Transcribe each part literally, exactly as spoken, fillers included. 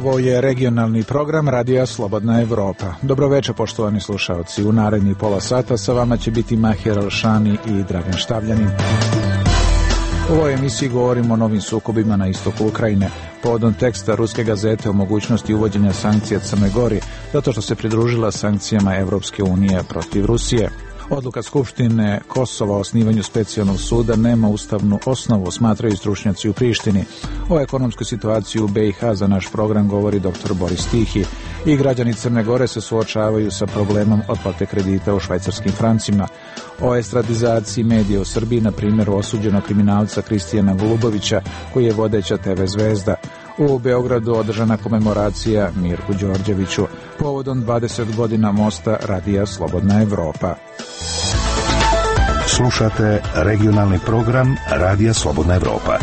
Ovo je regionalni program Radija Slobodna Evropa. Dobroveče, poštovani slušalci. U narednih pola sata sa vama će biti Mahir Alšani i Dragan Štavljanin. U ovoj emisiji govorimo o novim sukobima na istoku Ukrajine, povodom teksta ruske gazete o mogućnosti uvođenja sankcija Crnoj Gori, zato što se pridružila sankcijama Evropske unije protiv Rusije. Odluka Skupštine Kosova o osnivanju specijalnog suda nema ustavnu osnovu, smatraju stručnjaci u Prištini. O ekonomskoj situaciji u B i H za naš program govori doktor Boris Tihi. I građani Crne Gore se suočavaju sa problemom otplate kredita u švajcarskim francima. O estradizaciji medija u Srbiji, na primjer osuđenog kriminalca Kristijana Golubovića, koji je vodeća te ve zvezda. U Beogradu održana komemoracija Mirku Đorđeviću povodom dvadeset godina mosta Radija Slobodna Evropa. Slušate regionalni program Radija Slobodna Evropa.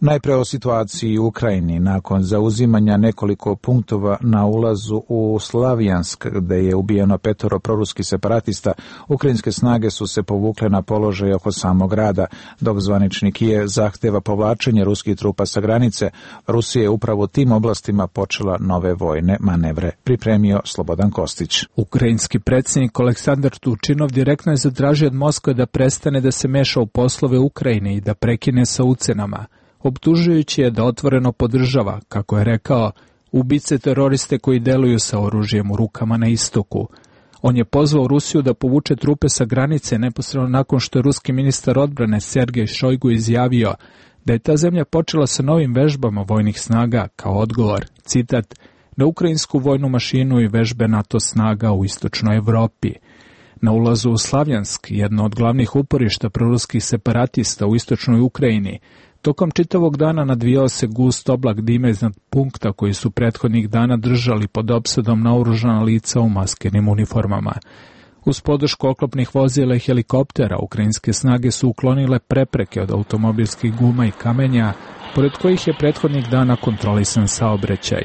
Najpre o situaciji u Ukrajini. Nakon zauzimanja nekoliko punktova na ulazu u Slavjansk, gde je ubijeno petoro proruskih separatista, ukrajinske snage su se povukle na položaj oko samog grada, dok zvanični Kijev zahteva povlačenje ruskih trupa sa granice. Rusija je upravo u tim oblastima počela nove vojne manevre, pripremio Slobodan Kostić. Ukrajinski predsjednik Aleksandar Turčinov direktno je zatražio od Moskve da prestane da se meša u poslove Ukrajine i da prekine sa ucenama, optužujući je da otvoreno podržava, kako je rekao, ubice teroriste koji deluju sa oružjem u rukama na istoku. On je pozvao Rusiju da povuče trupe sa granice neposredno nakon što je ruski ministar odbrane Sergej Šojgu izjavio da je ta zemlja počela sa novim vežbama vojnih snaga kao odgovor, citat, na ukrajinsku vojnu mašinu i vežbe NATO snaga u istočnoj Evropi. Na ulazu u Slavjansk, jedno od glavnih uporišta proruskih separatista u istočnoj Ukrajini, tokom čitavog dana nadvijao se gust oblak dima iznad punkta koji su prethodnih dana držali pod opsadom naoružana lica u maskenim uniformama. Uz podršku oklopnih vozila i helikoptera, ukrajinske snage su uklonile prepreke od automobilskih guma i kamenja, pored kojih je prethodnih dana kontrolisan saobraćaj.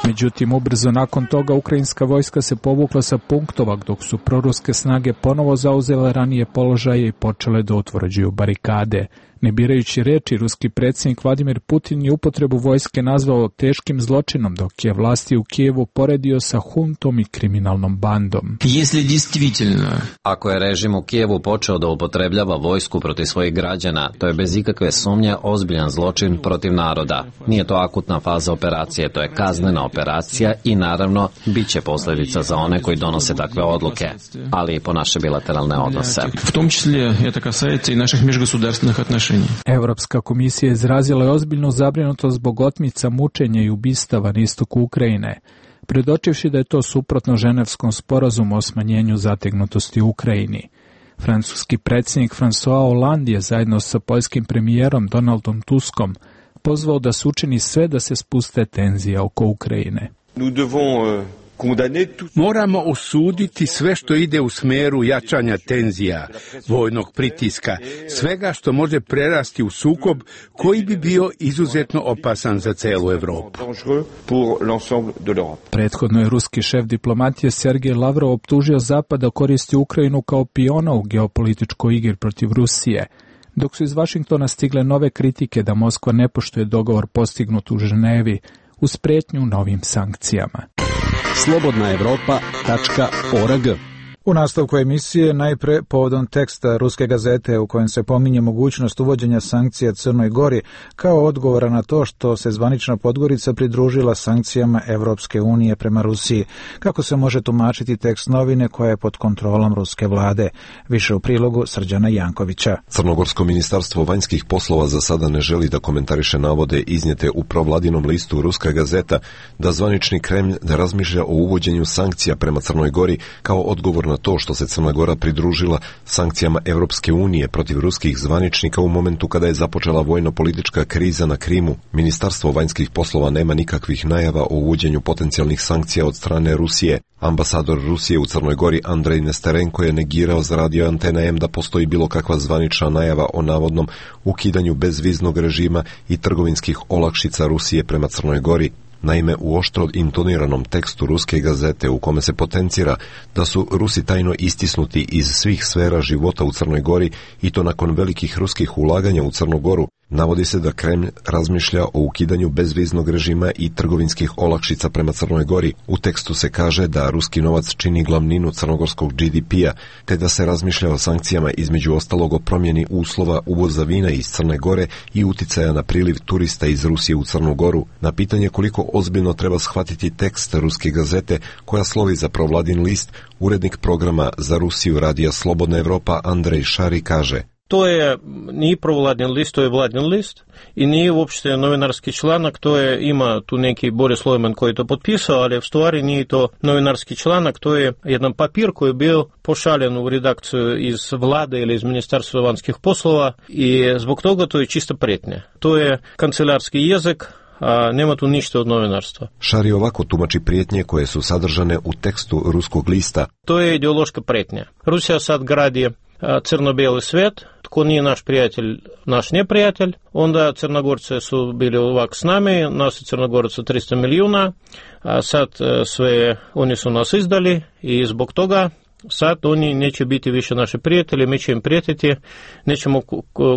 Međutim, ubrzo nakon toga ukrajinska vojska se povukla sa punktova, dok su proruske snage ponovo zauzele ranije položaje i počele da utvrđuju barikade. Ne birajući reči, ruski predsjednik Vladimir Putin je upotrebu vojske nazvao teškim zločinom, dok je vlasti u Kijevu poredio sa huntom i kriminalnom bandom. Ako je režim u Kijevu počeo da upotrebljava vojsku protiv svojih građana, to je bez ikakve sumnje ozbiljan zločin protiv naroda. Nije to akutna faza operacije, to je kaznena operacija i naravno bit će posljedica za one koji donose takve odluke, ali i po naše bilateralne odnose. V tom čисле это касается и наших межгосударственных отношений. Evropska komisija izrazila je ozbiljnu zabrinutost zbog otmica, mučenja i ubistava na istoku Ukrajine, predočivši da je to suprotno ženevskom sporazumu o smanjenju zategnutosti u Ukrajini. Francuski predsjednik François Hollande je zajedno sa poljskim premijerom Donaldom Tuskom pozvao da se učini sve da se spuste tenzije oko Ukrajine. Nous devons Moramo osuditi sve što ide u smeru jačanja tenzija, vojnog pritiska, svega što može prerasti u sukob koji bi bio izuzetno opasan za celu Evropu. Prethodno je ruski šef diplomatije Sergej Lavrov optužio Zapad da koristi Ukrajinu kao piona u geopolitičkoj igri protiv Rusije, dok su iz Vašingtona stigle nove kritike da Moskva ne poštuje dogovor postignut u Ženevi uz pretnju novim sankcijama. slobodna evropa tačka org. U nastavku emisije najpre povodom teksta ruske gazete u kojem se pominje mogućnost uvođenja sankcija Crnoj Gori kao odgovora na to što se zvanična Podgorica pridružila sankcijama Evropske unije prema Rusiji. Kako se može tumačiti tekst novine koja je pod kontrolom ruske vlade? Više u prilogu Srđana Jankovića. Crnogorsko ministarstvo vanjskih poslova za sada ne želi da komentariše navode iznijete u provladinom listu Ruska gazeta da zvanični Kremlj ne razmišlja o uvođenju sankcija prema Crnoj Gori kao odgovor na to što se Crna Gora pridružila sankcijama Evropske unije protiv ruskih zvaničnika u momentu kada je započela vojno-politička kriza na Krimu. Ministarstvo vanjskih poslova nema nikakvih najava o uvođenju potencijalnih sankcija od strane Rusije. Ambasador Rusije u Crnoj Gori Andrej Nesterenko je negirao za radio Antena M da postoji bilo kakva zvanična najava o navodnom ukidanju bezviznog režima i trgovinskih olakšica Rusije prema Crnoj Gori. Naime, u oštro intoniranom tekstu Ruske gazete u kome se potencira da su Rusi tajno istisnuti iz svih sfera života u Crnoj Gori i to nakon velikih ruskih ulaganja u Crnu Goru, Navodi se da Kremlj razmišlja o ukidanju bezviznog režima i trgovinskih olakšica prema Crnoj Gori. U tekstu se kaže da ruski novac čini glavninu crnogorskog G D P-a, te da se razmišlja o sankcijama, između ostalog o promjeni uslova uvoza vina iz Crne Gore i uticaja na priliv turista iz Rusije u Crnu Goru. Na pitanje koliko ozbiljno treba shvatiti tekst ruske gazete koja slovi za provladin list, urednik programa za Rusiju Radija Slobodna Evropa Andrej Šari kaže: To je nije provladin list, to je vladin list i nije uopšte novinarski članak, to je, ima tu neki Boris Lojman koji je to potpisao, ali u stvari nije to novinarski članak, to je jedan papir koji je bio pošaljen u redakciju iz vlade ili iz Ministarstva vanjskih poslova i zbog toga to je čista prijetnja. To je kancelarski jezik, a nema tu ništa od novinarstva. Šari ovako tumači prijetnje koje su sadržane u tekstu ruskog lista. To je ideološka prijetnja. Rusija sad gradi crno-bijeli svijet, tko nije naš prijatelj, naš neprijatelj, onda Crnogorci su bili ovak s nami, nas je Crnogorci tristo milijuna, a sad sve oni su nas izdali i zbog toga sad oni neće biti više naši prijatelji, mi će im prijetiti, nećemo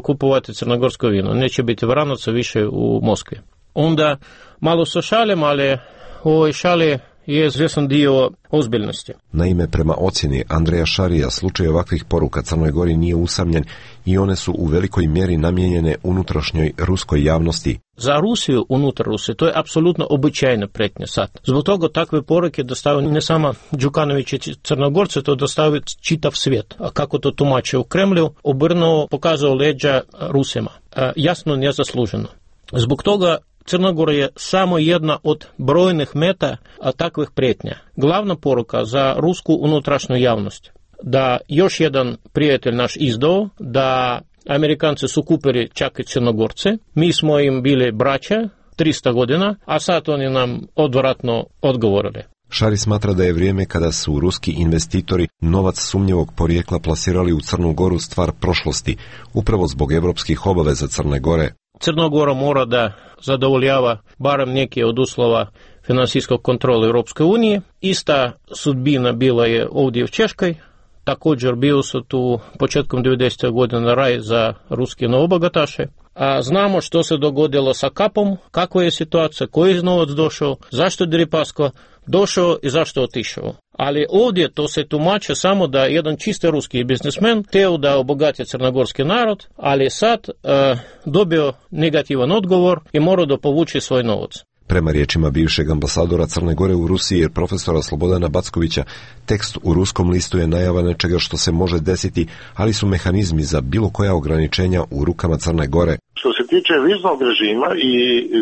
kupovati crnogorsko vino, neće biti vranaca više u Moskvi. Onda malo se šalim, ali u ovoj šali je izvjesan dio ozbiljnosti. Naime, prema ocjeni Andreja Šarija, slučaj ovakvih poruka Crnoj Gori nije usamljen i one su u velikoj mjeri namijenjene unutrašnjoj ruskoj javnosti. Za Rusiju, unutar Rusije, to je apsolutno običajna prijetnja sad. Zbog toga takve poruke dostavaju ne samo Đukanović i Crnogorci, to dostavaju čitav svijet. A kako to tumače u Kremlju, obrnuo, pokazao leđa Rusima. A, jasno, nezasluženo. Zbog toga Crna Gora je samo jedna od brojnih meta takvih prijetnja. Glavna poruka za rusku unutrašnju javnost da još jedan prijatelj naš izdao, da Amerikanci su kupili čak i Crnogorce, mi smo im bili braća tristo godina, a sad oni nam odvratno odgovorili. Šari smatra da je vrijeme kada su ruski investitori novac sumnjivog porijekla plasirali u Crnu Goru stvar prošlosti, upravo zbog evropskih obaveza Crne Gore. Crna Gora mora da zadovoljava barem neke od uslova finansijskog kontrola Europske unije. Ista sudbina bila je ovdje u Češkoj. Također bio su tu početkom devedesetih godina raj za ruske novobogataše. A znamo što se dogodilo sa kapom, kakva je situacija, koji je novac došao, zašto je Deripaska došao i zašto otišao. Ali ovdje to se tumače samo da jedan čisti ruski biznismen teo da obogati crnogorski narod, ali sad uh, dobio negativan odgovor i mora da povuče svoj novac. Prema riječima bivšeg ambasadora Crne Gore u Rusiji jer profesora Slobodana Backovića, tekst u ruskom listu je najava nečega što se može desiti, ali su mehanizmi za bilo koja ograničenja u rukama Crne Gore. Što se tiče viznog režima i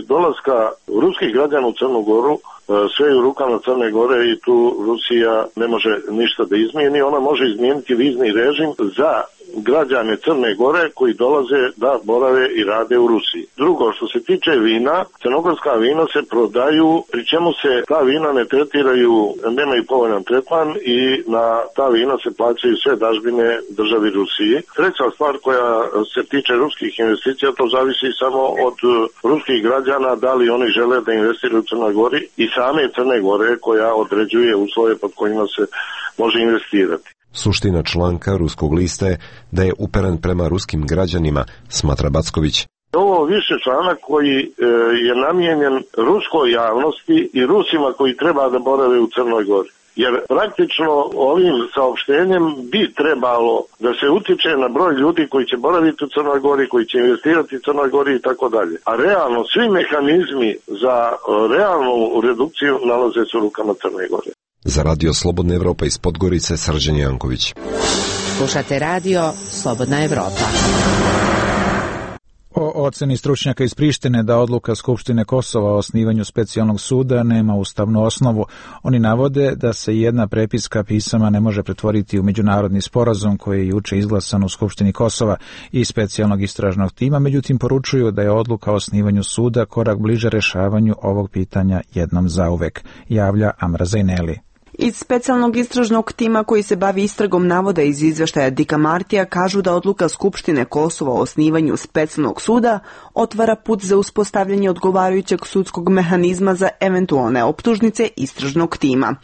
dolaska ruskih građana u Crnu Goru, sve je u rukama Crne Gore i tu Rusija ne može ništa da izmijeni. Ona može izmijeniti vizni režim za građane Crne Gore koji dolaze da borave i rade u Rusiji. Drugo, što se tiče vina, crnogorska vina se prodaju, pri čemu se ta vina ne tretiraju, nemaju povoljan tretman i na ta vina se plaćaju sve dažbine državi Rusiji. Treća stvar koja se tiče ruskih investicija, to zavisi samo od ruskih građana, da li oni žele da investiraju u Crnoj Gori i same Crne Gore koja određuje uslove pod kojima se može investirati. Suština članka ruskog lista je da je uperen prema ruskim građanima, smatra Backović. Ovo više članak koji e, je namijenjen ruskoj javnosti i Rusima koji treba da borave u Crnoj Gori. Jer praktično ovim saopštenjem bi trebalo da se utiče na broj ljudi koji će boraviti u Crnoj Gori, koji će investirati u Crnoj Gori i tako dalje. A realno svi mehanizmi za realnu redukciju nalaze se u rukama Crne Gore. Za Radio Slobodna Evropa iz Podgorice, Srđan Janković. Slušate Radio Slobodna Evropa. O oceni stručnjaka iz Prištine da odluka Skupštine Kosova o osnivanju specijalnog suda nema ustavnu osnovu. Oni navode da se jedna prepiska pisama ne može pretvoriti u međunarodni sporazum koji je juče izglasan u Skupštini Kosova i specijalnog istražnog tima, međutim poručuju da je odluka o osnivanju suda korak bliže rešavanju ovog pitanja jednom zauvek, javlja Amra Zajneli. Iz specijalnog istražnog tima koji se bavi istragom navoda iz izveštaja Dika Martija kažu da odluka Skupštine Kosova o osnivanju specijalnog suda otvara put za uspostavljanje odgovarajućeg sudskog mehanizma za eventualne optužnice istražnog tima.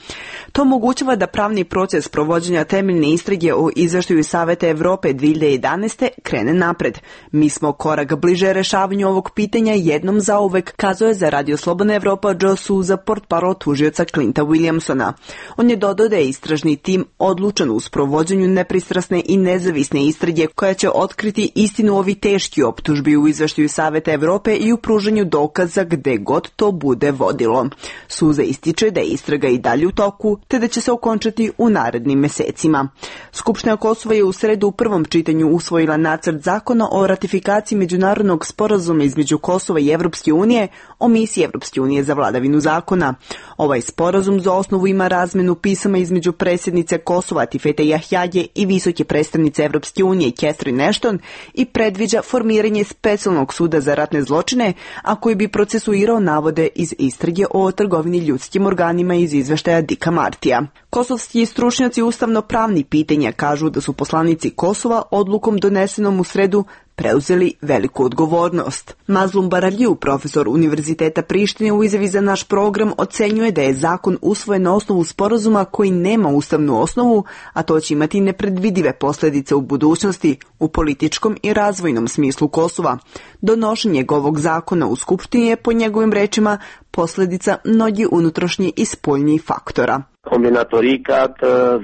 To omogućava da pravni proces provođenja temeljne istrage o izveštaju Saveta Evrope dve hiljade jedanaeste. krene napred. Mi smo korak bliže rešavanju ovog pitanja jednom zauvek, kazao je za Radio Slobodna Evropa Joe Souza, portparol tužioca Clinta Williamsona. On je dodao da je istražni tim odlučan u sprovođenju nepristrasne i nezavisne istrage koja će otkriti istinu ovi teški optužbi u izveštaju Saveta Evrope i u pružanju dokaza gde god to bude vodilo. Souza ističe da je istraga i dalje u toku, te da će se okončati u narednim mesecima. Skupština Kosova je u sredu u prvom čitanju usvojila nacrt zakona o ratifikaciji međunarodnog sporazuma između Kosova i Evropske unije o misiji Evropske unije za vladavinu zakona. Ovaj sporazum za osnovu ima razmenu pisama između predsjednice Kosova Tifete Jahjaje i visoke predstavnice Evropske unije Catherine Ashton i predviđa formiranje specijalnog suda za ratne zločine, a koji bi procesuirao navode iz istrage o trgovini ljudskim organima iz izveštaja Dika Martija. Kosovski stručnjaci ustavno-pravni pitanja kažu da su poslanici Kosova odlukom donesenom u sredu preuzeli veliku odgovornost. Mazlum Baralju, profesor Univerziteta Prištine, u izjavi za naš program ocenjuje da je zakon usvojen na osnovu sporazuma koji nema ustavnu osnovu, a to će imati nepredvidive posljedice u budućnosti u političkom i razvojnom smislu Kosova. Donošenje ovog zakona u Skupštini je, po njegovim rečima, posljedica mnogih unutrašnjih i spoljnih faktora. Kombinatorikat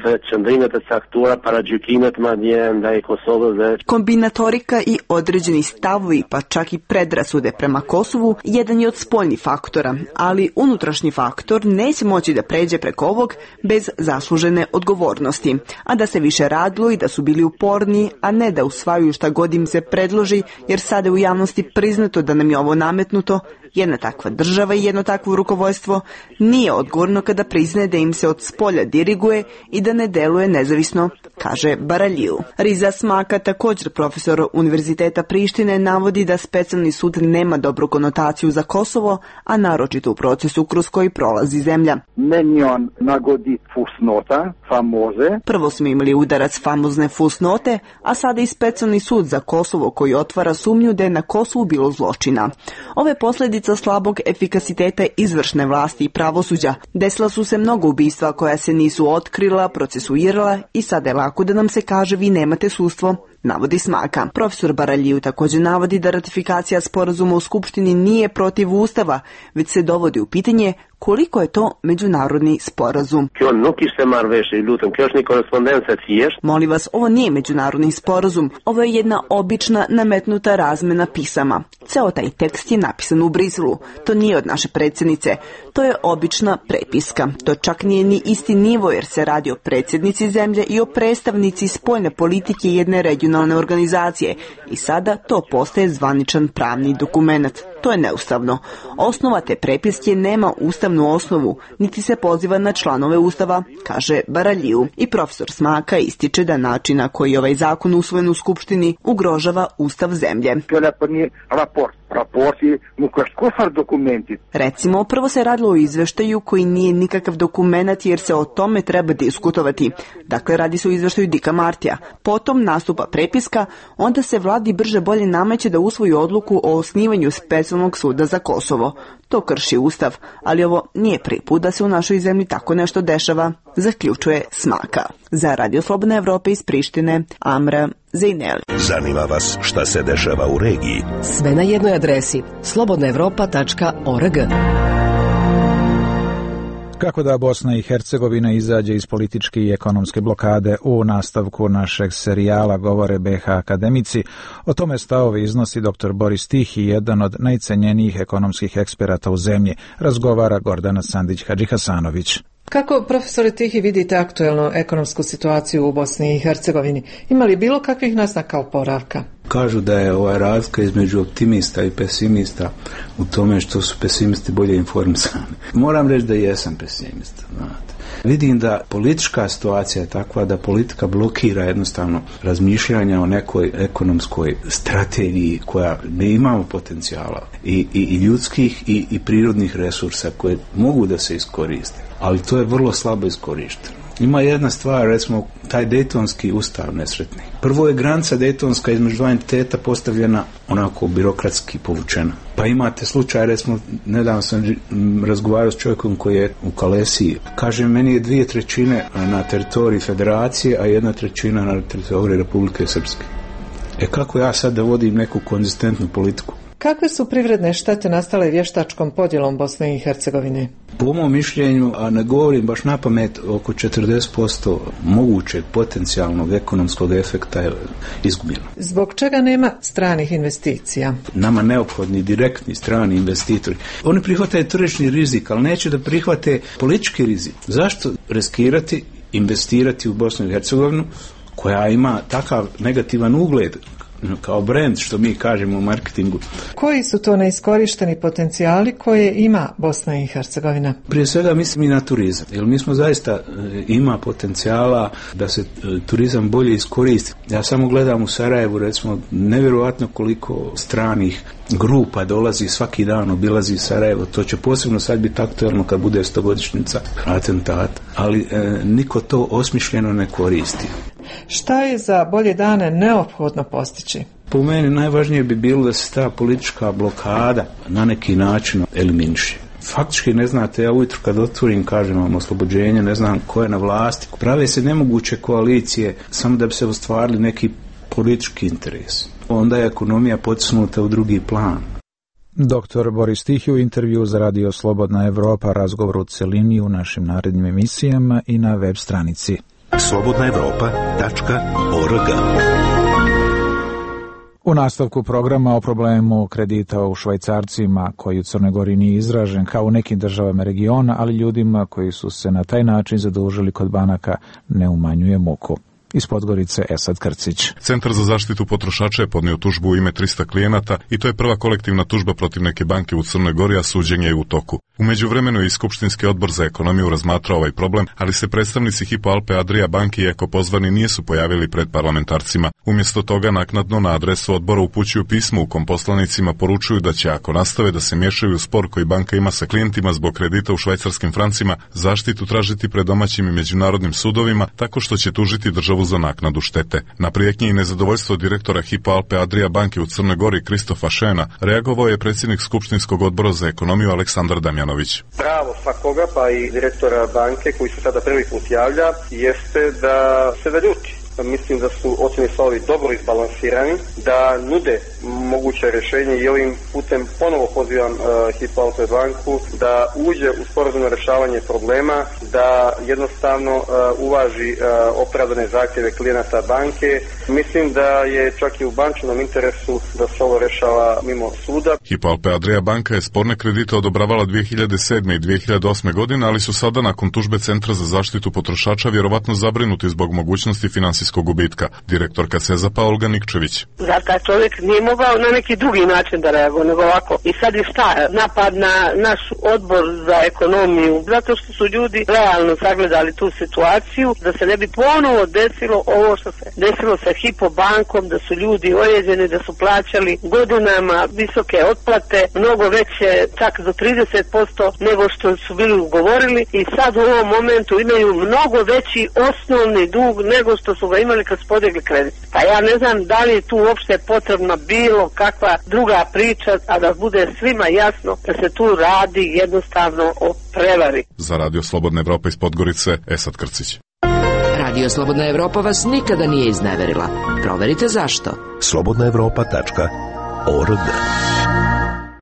dhe qëndrimet e caktuara para gjykimet madje ndaj Kosovës dhe Kombinatorika i određeni stavovi, pa čak i predrasude prema Kosovu, jedan je od spoljnih faktora, ali unutrašnji faktor neće moći da pređe preko ovog bez zaslužene odgovornosti, a da se više radilo i da su bili uporni, a ne da usvajaju šta god im se predloži, jer sada je u javnosti priznato da nam je ovo nametnuto. Jedna takva država i jedno takvo rukovodstvo nije odgovorno kada priznaje da im se od spolja diriguje i da ne deluje nezavisno, kaže Baralju. Riza Smaka, također profesor Univerziteta Prištine, navodi da specijalni sud nema dobru konotaciju za Kosovo, a naročito u procesu kroz koji prolazi zemlja. Menjon nagodi fusnota, famoze. Prvo smo imali udarac famozne fusnote, a sada i specijalni sud za Kosovo koji otvara sumnju da je na Kosovu bilo zločina. Ove posljedice slabog efikasiteta izvršne vlasti i pravosuđa. Desila su se mnogo ubistva koja se nisu otkrila, procesuirala i sada je lako da nam se kaže vi nemate sudstvo, navodi Smaka. Profesor Baralju također navodi da ratifikacija sporazuma u Skupštini nije protiv Ustava, već se dovodi u pitanje koliko je to međunarodni sporazum. Molim vas, ovo nije međunarodni sporazum, ovo je jedna obična nametnuta razmena pisama. Ceo taj tekst je napisan u Briselu. To nije od naše predsjednice. To je obična prepiska. To čak nije ni isti nivo jer se radi o predsjednici zemlje i o predstavnici spoljne politike jedne regionalne organizacije. I sada to postaje zvaničan pravni dokument. To je neustavno. Osnova te prepiske nema ustavnu osnovu, niti se poziva na članove Ustava, kaže Baralju. I profesor Smaka ističe da način na koji ovaj zakon usvojen u Skupštini ugrožava Ustav zemlje. Recimo, prvo se radilo o izveštaju koji nije nikakav dokumenat jer se o tome treba diskutovati. Dakle, radi se o izveštaju Dika Martija. Potom nastupa prepiska, onda se vladi brže bolje nameće da usvoji odluku o osnivanju specijalnog suda za Kosovo. To krši Ustav, ali ovo nije prvi put da se u našoj zemlji tako nešto dešava, zaključuje Smaka. Za Radio Slobodna Evropa iz Prištine, Amra Zejneli. Zanima vas šta se dešava u regiji? Sve na jednoj adresi slobodna evropa tačka org. Kako da Bosna i Hercegovina izađe iz političke i ekonomske blokade, u nastavku našeg serijala govore be ha akademici. O tome stavove iznosi doktor Boris Tihi, jedan od najcenjenijih ekonomskih eksperata u zemlji. Razgovara Gordana Sandić-Hadžihasanović. Kako, profesore Tihi, vidite aktuelnu ekonomsku situaciju u Bosni i Hercegovini? Ima li bilo kakvih naznaka oporavka? Kažu da je ova razlika između optimista i pesimista u tome što su pesimisti bolje informisani. Moram reći da jesam pesimista, znate. Vidim da politička situacija je takva da politika blokira jednostavno razmišljanja o nekoj ekonomskoj strategiji koja ne imamo potencijala i, i, i ljudskih i, i prirodnih resursa koje mogu da se iskoriste, ali to je vrlo slabo iskorišteno. Ima jedna stvar, recimo, taj Dejtonski ustav nesretni. Prvo je granica Dejtonska između dva entiteta postavljena onako birokratski povučena. Pa imate slučaj, recimo, nedavno sam razgovarao s čovjekom koji je u Kalesiji. Kaže, meni je dvije trećine na teritoriji federacije, a jedna trećina na teritoriji Republike Srpske. E kako ja sad da vodim neku konzistentnu politiku? Kakve su privredne štete nastale vještačkom podjelom Bosne i Hercegovine? Po mom mišljenju, a ne govorim baš na pamet, oko četrdeset posto mogućeg potencijalnog ekonomskog efekta je izgubljeno. Zbog čega nema stranih investicija? Nama neophodni direktni strani investitori. Oni prihvataju tržišni rizik, ali neće da prihvate politički rizik. Zašto riskirati, investirati u Bosnu i Hercegovinu, koja ima takav negativan ugled kao brand, što mi kažemo u marketingu. Koji su to neiskorišteni potencijali koje ima Bosna i Hercegovina? Prije svega mislim i na turizam, jer mi smo zaista ima potencijala da se turizam bolje iskoristi. Ja samo gledam u Sarajevu, recimo, nevjerojatno koliko stranih grupa dolazi svaki dan, obilazi Sarajevo. To će posebno sad biti aktualno kad bude stogodišnjica atentata, ali e, niko to osmišljeno ne koristi. Šta je za bolje dane neophodno postići? Po meni najvažnije bi bilo da se ta politička blokada na neki način eliminiše. Faktički ne znate, ja ujutro kad otvorim, kažem vam oslobođenje, ne znam ko je na vlasti. Prave se nemoguće koalicije samo da bi se ostvarili neki politički interes. Onda je ekonomija potisnuta u drugi plan. Doktor Boris Tihi u intervju za Radio Slobodna Evropa, razgovor u celini u našim narednim emisijama i na web stranici slobodna evropa tačka org. U nastavku programa o problemu kredita u švajcarcima koji u Crnoj Gori nije izražen kao u nekim državama regiona, ali ljudima koji su se na taj način zadužili kod banaka ne umanjuje muku. Iz Podgorice Esad Krcić. Centar za zaštitu potrošača je podnio tužbu u ime trista klijenata i to je prva kolektivna tužba protiv neke banke u Crnoj Gori, a suđenje je u toku. U međuvremenu je i Skupštinski odbor za ekonomiju razmatrao ovaj problem, ali se predstavnici Hypo Alpe Adria banke i Eko pozvani nisu pojavili pred parlamentarcima. Umjesto toga naknadno na adresu odbora upućuju pismo u kom poslanicima poručuju da će, ako nastave da se miješaju u spor koji banka ima sa klijentima zbog kredita u švajcarskim francima, zaštitu tražiti pred domaćim i međunarodnim sudovima tako što će tužiti državu za naknadu štete. Na prijetnje i nezadovoljstvo direktora Hypo Alpe Adria banke u Crnoj Gori Kristofa Šena reagovao je predsjednik Skupštinskog odbora za ekonomiju Aleksandar Damjanović. Pravo svakoga, pa i direktora banke koji se sada prvi put javlja, jeste da se naljuti. Mislim da su ocjeni stavovi dobro izbalansirani, da nude moguće rješenje i ovim putem ponovo pozivam uh, Hypo Alpe banku da uđe u sporazumno rješavanje problema, da jednostavno uh, uvaži uh, opravdane zahtjeve klijenata banke. Mislim da je čak i u bančnom interesu da se ovo rješava mimo suda. Hypo Alpe Adria banka je sporne kredite odobravala dvije hiljade sedme i dvije hiljade osme godine, ali su sada nakon tužbe Centra za zaštitu potrošača vjerovatno zabrinuti zbog mogućnosti finansijskog gubitka. Direktorka Sezapa Olga Nikčević. Zar taj čovjek nije mogao na neki drugi način da reaguje nego ovako? I sad je šta? Napad na naš odbor za ekonomiju, zato što su ljudi realno sagledali tu situaciju, da se ne bi ponovo desilo ovo što se desilo sa Hypo bankom, da su ljudi ojeđeni, da su plaćali godinama visoke otplate, mnogo veće, čak do trideset posto nego što su bili ugovorili i sad u ovom momentu imaju mnogo veći osnovni dug nego što su ga imali kad su podigli kredit. Pa ja ne znam da li je tu uopšte potrebna bilo kakva druga priča, a da bude svima jasno da se tu radi jednostavno o prevari. Za Radio Slobodna Evropa iz Podgorice, Esad Krcić. Radio Slobodna Evropa vas nikada nije izneverila. Proverite zašto. slobodna evropa tačka org.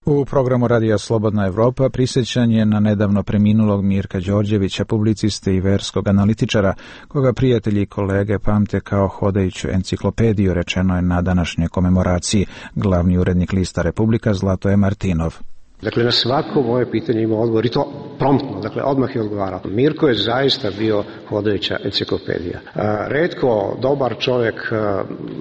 U programu Radija Slobodna Evropa prisjećanje na nedavno preminulog Mirka Đorđevića, publiciste i verskog analitičara, koga prijatelji i kolege pamte kao hodajuću enciklopediju, rečeno je na današnjoj komemoraciji. Glavni urednik lista Republika Zlatoje Martinov. Dakle, na svako moje pitanje ima odgovor i to promptno, dakle, odmah je odgovarao. Mirko je zaista bio hodajuća enciklopedija. Retko dobar čovjek,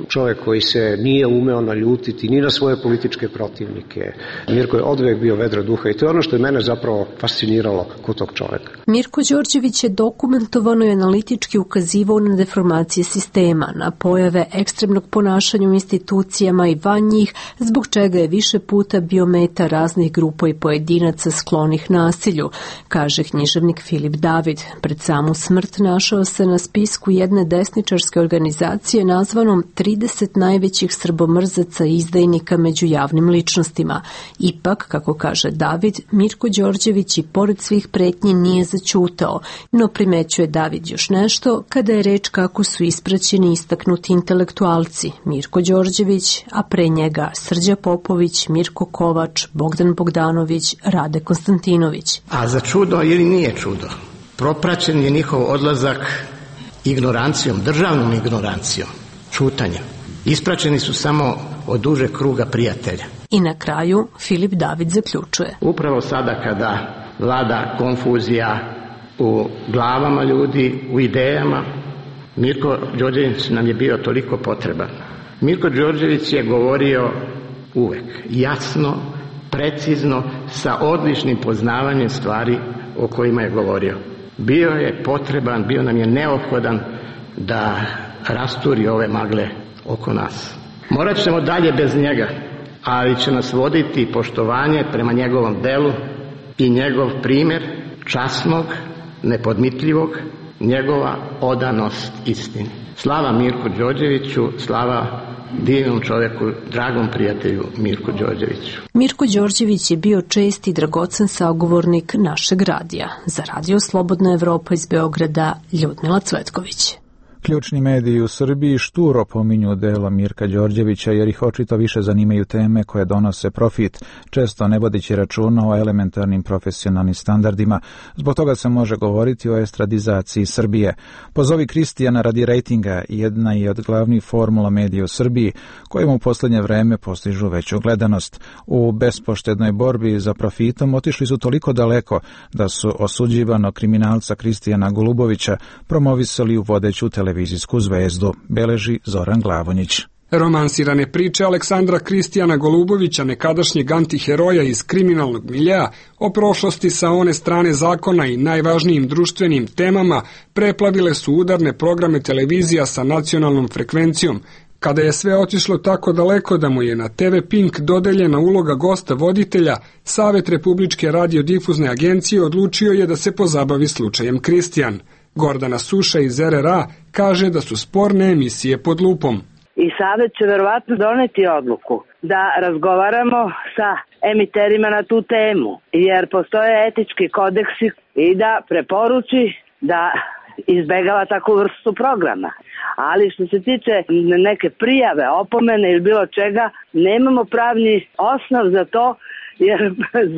čovjek koji se nije umeo naljutiti ni na svoje političke protivnike. Mirko je odvijek bio vedra duha i to je ono što je mene zapravo fasciniralo kod tog čovjeka. Mirko Đorđević je dokumentovano i analitički ukazivao na deformacije sistema, na pojave ekstremnog ponašanja u institucijama i van njih, zbog čega je više puta bio meta raznih grupa i pojedinaca sklonih nasilju, kaže književnik Filip David. Pred samu smrt našao se na spisku jedne desničarske organizacije nazvanom trideset najvećih srbomrzaca i izdajnika među javnim ličnostima. Ipak, kako kaže David, Mirko Đorđević i pored svih pretnji nije zaćutao, no primećuje David još nešto kada je reč kako su ispraćeni istaknuti intelektualci Mirko Đorđević, a pre njega Srđa Popović, Mirko Kovač, Bogdan Bogdanović, Rade Konstantinović. A za čudo ili nije čudo, propraćen je njihov odlazak ignorancijom, državnom ignorancijom, čutanjem. Ispraćeni su samo od duže kruga prijatelja. I na kraju Filip David zaključuje. Upravo sada kada vlada konfuzija u glavama ljudi, u idejama, Mirko Đorđević nam je bio toliko potreban. Mirko Đorđević je govorio uvek jasno, precizno, sa odličnim poznavanjem stvari o kojima je govorio. Bio je potreban, bio nam je neophodan da rasturi ove magle oko nas. Morat ćemo dalje bez njega, ali će nas voditi poštovanje prema njegovom delu i njegov primjer časnog, nepodmitljivog, njegova odanost istini. Slava Mirku Đorđeviću, slava divnom čovjeku, dragom prijatelju Mirku Đorđeviću. Mirko Đorđević je bio čest i dragocen sagovornik našeg radija. Za Radio Slobodna Evropa iz Beograda, Ljudmila Cvetković. Ključni mediji u Srbiji šturo pominju dela Mirka Đorđevića jer ih očito više zanimaju teme koje donose profit, često ne vodeći računa o elementarnim profesionalnim standardima. Zbog toga se može govoriti o estradizaciji Srbije. Pozovi Kristijana radi rejtinga jedna je od glavnih formula medija u Srbiji, kojima u posljednje vreme postižu veću gledanost. U bespoštednoj borbi za profitom otišli su toliko daleko da su osuđivanog kriminalca Kristijana Golubovića promovisali u vodeću televiziju. Televizijsku zvezdu, beleži Zoran Glavonjić. Romansirane priče Aleksandra Kristijana Golubovića, nekadašnjeg antiheroja iz kriminalnog miljea, o prošlosti sa one strane zakona i najvažnijim društvenim temama preplavile su udarne programe televizija sa nacionalnom frekvencijom. Kada je sve otišlo tako daleko da mu je na te ve Pink dodeljena uloga gosta voditelja, Savet Republičke radiodifuzne agencije odlučio je da se pozabavi slučajem Kristijan. Gordana Suša iz er er a kaže da su sporne emisije pod lupom. I Savet će verovatno doneti odluku da razgovaramo sa emiterima na tu temu, jer postoje etički kodeksi i da preporuči da izbegava takvu vrstu programa. Ali što se tiče neke prijave, opomene ili bilo čega, nemamo pravni osnov za to, jer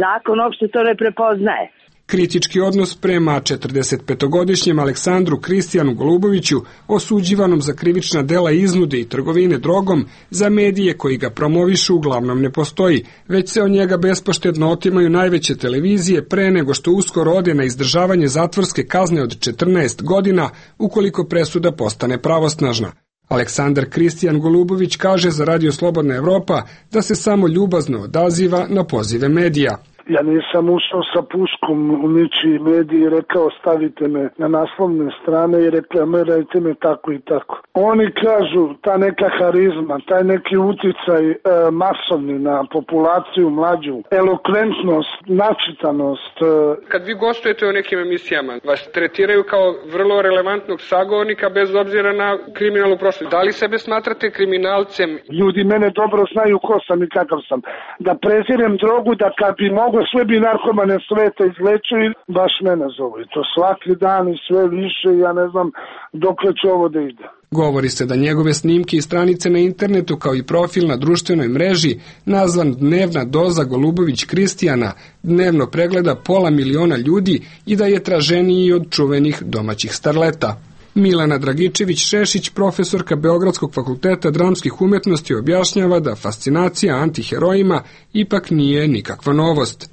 zakon uopšte to ne prepoznaje. Kritički odnos prema četrdesetpetogodišnjem Aleksandru Kristijanu Goluboviću, osuđivanom za krivična dela iznude i trgovine drogom, za medije koji ga promovišu uglavnom ne postoji, već se od njega bespoštedno otimaju najveće televizije pre nego što uskoro ode na izdržavanje zatvorske kazne od četrnaest godina ukoliko presuda postane pravosnažna. Aleksandar Kristijan Golubović kaže za Radio Slobodna Evropa da se samo ljubazno odaziva na pozive medija. Ja nisam ušao sa puškom u ničiji mediji i rekao stavite me na naslovne strane i reklamirajte me tako i tako. Oni kažu ta neka harizma, taj neki uticaj e, masovni na populaciju mlađu, elokventnost, načitanost. E. Kad vi gostujete u nekim emisijama, vas tretiraju kao vrlo relevantnog sagovornika bez obzira na kriminalnu prošlost. Da li sebe smatrate kriminalcem? Ljudi mene dobro znaju ko sam i kakav sam. Da prezirem drogu, da kad bi mogo sve bi narkomane sveta izlečili, baš mene zovu. I to svaki dan i sve više, ja ne znam dokle će ovo da ide. Govori se da njegove snimke i stranice na internetu kao i profil na društvenoj mreži, nazvan Dnevna doza Golubović Kristijana, dnevno pregleda pola miliona ljudi i da je traženiji od čuvenih domaćih starleta. Milana Dragičević-Šešić, profesorka Beogradskog fakulteta dramskih umetnosti, objašnjava da fascinacija antiherojima ipak nije nikakva novost.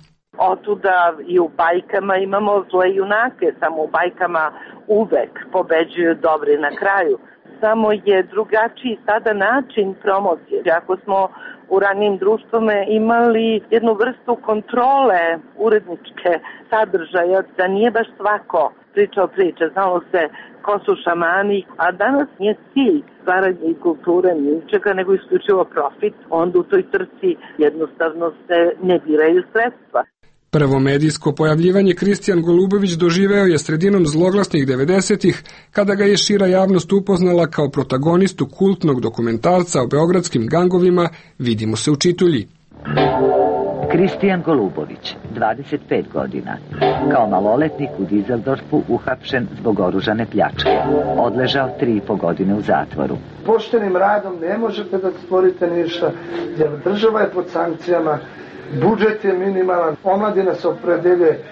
Otuda i u bajkama imamo zle junake, samo u bajkama uvek pobeđuju dobri na kraju. Samo je drugačiji sada način promocije. Ako smo u ranijim društvama imali jednu vrstu kontrole uredničke sadržaja, da nije baš svako pričao priče, znalo se ko su šamani, a danas nije cilj stvaranja i kulture ničega, nego isključivo profit, onda u toj trci jednostavno se ne biraju sredstva. Prvo medijsko pojavljivanje Kristijan Golubović doživeo je sredinom zloglasnih devedesetih, kada ga je šira javnost upoznala kao protagonistu kultnog dokumentarca o beogradskim gangovima Vidimo se u Čitulji. Kristijan Golubović, dvadeset pet godina, kao maloletnik u Dizeldorfu uhapšen zbog oružane pljačke. Odležao tri i po godine u zatvoru. Poštenim radom ne možete da stvorite ništa, jer država je pod sankcijama, budžet je minimalan, omladina se opredeljuje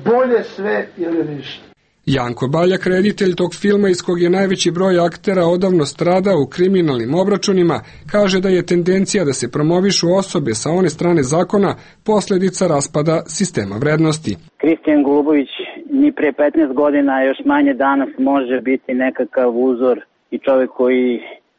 bolje sve ili ništa. Janko Baljak, reditelj tog filma iz kog je najveći broj aktera odavno stradao u kriminalnim obračunima, kaže da je tendencija da se promovišu osobe sa one strane zakona posledica raspada sistema vrednosti. Kristijan Golubović ni pre petnaest godina, još manje danas, može biti nekakav uzor i čovjek koji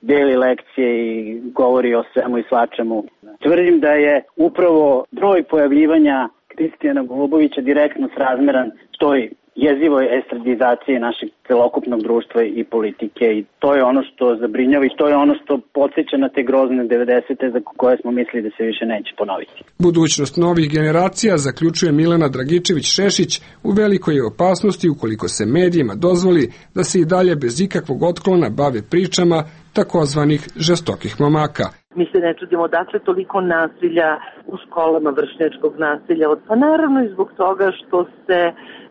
deli lekcije i govori o svemu i svačemu. Tvrdim da je upravo broj pojavljivanja Kristijana Golubovića direktno srazmeran toj jezivoj estradizaciji našeg celokupnog društva i politike, i to je ono što zabrinjava i to je ono što podsjeća na te grozne devedesete za koje smo mislili da se više neće ponoviti. Budućnost novih generacija, zaključuje Milana Dragičević-Šešić, u velikoj je opasnosti ukoliko se medijima dozvoli da se i dalje bez ikakvog otklona bave pričama takozvanih žestokih momaka. Mi se ne čudimo dakle toliko nasilja u školama, vršnjačkog nasilja. Pa naravno i zbog toga što se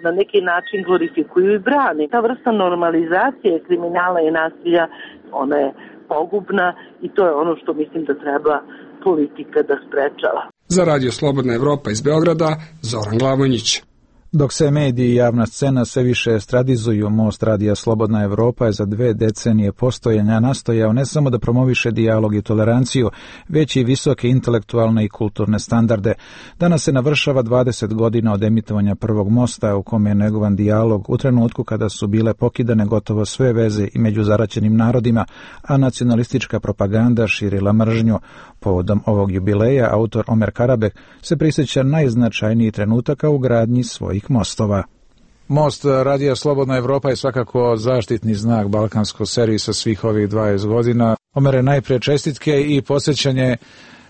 na neki način glorifikuju i brani. Ta vrsta normalizacije kriminala i nasilja, ona je pogubna i to je ono što mislim da treba politika da sprečava. Za Radio Slobodna Evropa iz Beograda, Zoran Glavonjić. Dok se mediji i javna scena sve više estradizuju, Most Radija Slobodna Evropa je za dve decenije postojanja nastojao ne samo da promoviše dijalog i toleranciju, već i visoke intelektualne i kulturne standarde. Danas se navršava dvadeset godina od emitovanja prvog Mosta, u kome je negovan dijalog u trenutku kada su bile pokidane gotovo sve veze i među zaraćenim narodima, a nacionalistička propaganda širila mržnju. Povodom ovog jubileja, autor Omer Karabek se prisjeća najznačajnijih trenutaka u gradnji svojih mostova. Most Radija Slobodna Evropa je svakako zaštitni znak balkanskog servisa svih ovih dvadeset godina. Omere, najprije čestitke i podsjećanje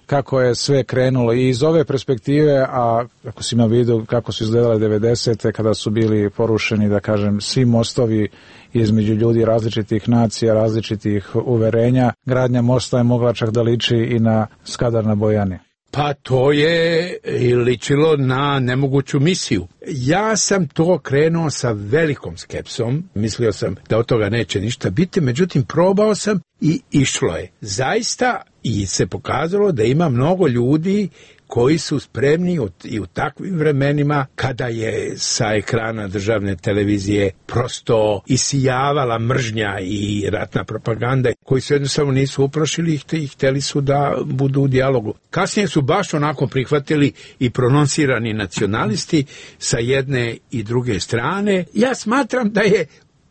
kako je sve krenulo i iz ove perspektive, a ako si ima vidu kako su izgledale devedesete kada su bili porušeni, da kažem, svi mostovi između ljudi različitih nacija, različitih uverenja, gradnja mosta je mogla čak da liči i na Skadar na Bojani. Pa to je ličilo na nemoguću misiju. Ja sam to krenuo sa velikom skepsom, mislio sam da od toga neće ništa biti, međutim probao sam i išlo je. Zaista i se pokazalo da ima mnogo ljudi koji su spremni i u takvim vremenima kada je sa ekrana državne televizije prosto isijavala mržnja i ratna propaganda, koji se jednostavno nisu uplašili i hteli su da budu u dijalogu. Kasnije su baš onako prihvatili i prononsirani nacionalisti sa jedne i druge strane. Ja smatram da je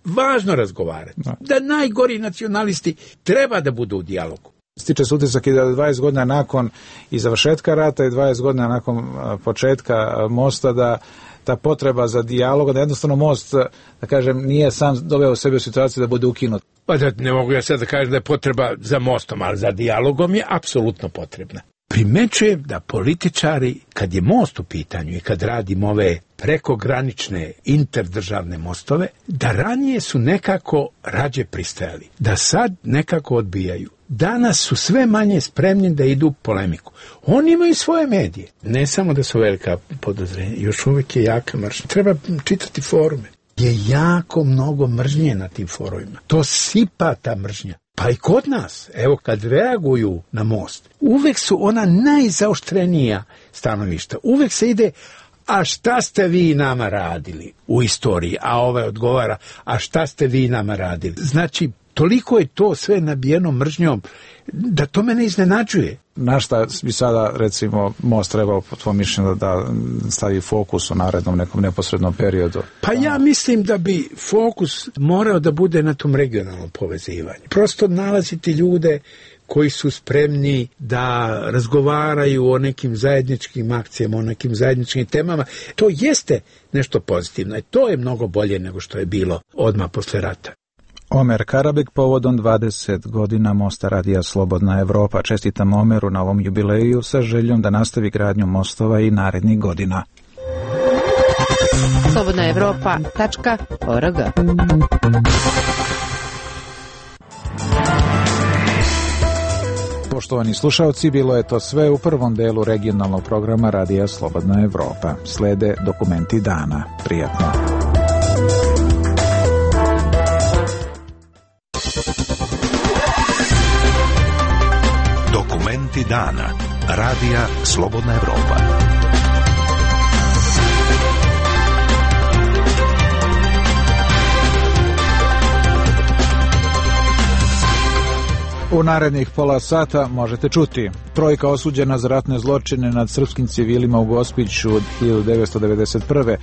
važno razgovarati, da najgori nacionalisti treba da budu u dijalogu. Stiče se utisak i da dvadeset godina nakon i završetka rata i dvadeset godina nakon početka mosta da ta potreba za dijalog, da jednostavno most, da kažem, nije sam doveo sebe u situaciju da bude ukinut. Pa da, ne mogu ja sad da kažem da je potreba za mostom, ali za dijalogom je apsolutno potrebna. Primećujem da političari, kad je most u pitanju i kad radimo ove prekogranične interdržavne mostove, da ranije su nekako rađe pristajali, da sad nekako odbijaju. Danas su sve manje spremni da idu u polemiku. Oni imaju svoje medije. Ne samo da su velika podozrenja, još uvijek je jaka mržnja. Treba čitati forume. Je jako mnogo mržnje na tim forumima. To sipa ta mržnja. Pa i kod nas, evo kad reaguju na most, uvek su ona najzaoštrenija stanovišta. Uvek se ide, a šta ste vi nama radili u istoriji, a ovaj odgovara, a šta ste vi nama radili. Znači, toliko je to sve nabijeno mržnjom da to mene iznenađuje. Na šta bi sada, recimo, Most trebao po tvojom mišljenju da stavi fokus u narednom nekom neposrednom periodu? Pa ja mislim da bi fokus morao da bude na tom regionalnom povezivanju. Prosto nalaziti ljude koji su spremni da razgovaraju o nekim zajedničkim akcijama, o nekim zajedničkim temama. To jeste nešto pozitivno i to je mnogo bolje nego što je bilo odmah posle rata. Omer Karabek povodom dvadeset godina Mosta Radija Slobodna Evropa. Čestitam Omeru na ovom jubileju sa željom da nastavi gradnju mostova i narednih godina. slobodna evropa tačka org. Poštovani slušalci, bilo je to sve u prvom delu regionalnog programa Radija Slobodna Evropa. Slede dokumenti dana. Prijatno. Dokumenti dana. Radija Slobodna Evropa. U narednih pola sata možete čuti: trojka osuđena za ratne zločine nad srpskim civilima u Gospiću od hiljadu devetsto devedeset prve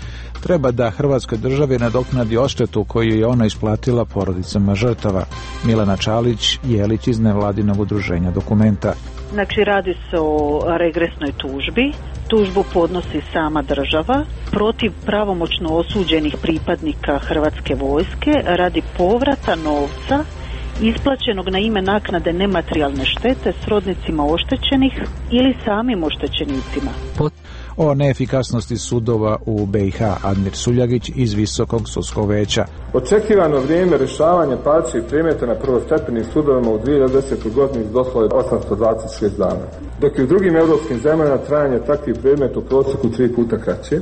treba da Hrvatskoj državi nadoknadi odštetu koju je ona isplatila porodicama žrtava. Milena Čalić Jelić iz nevladinog udruženja Dokumenta. Znači, radi se o regresnoj tužbi. Tužbu podnosi sama država protiv pravomoćno osuđenih pripadnika Hrvatske vojske radi povrata novca isplaćenog na ime naknade nematerijalne štete srodnicima oštećenih ili samim oštećenicima. O neefikasnosti sudova u be i ha Admir Suljagić iz Visokog sudskog veća. Očekivano vrijeme rješavanja parčih predmeta na prvostepenim sudovima u dvije hiljade desetoj godini iznosilo je osamsto dvadeset šest dana, dok je u drugim europskim zemljama trajanje takvih predmeta u prosjeku tri puta kraće.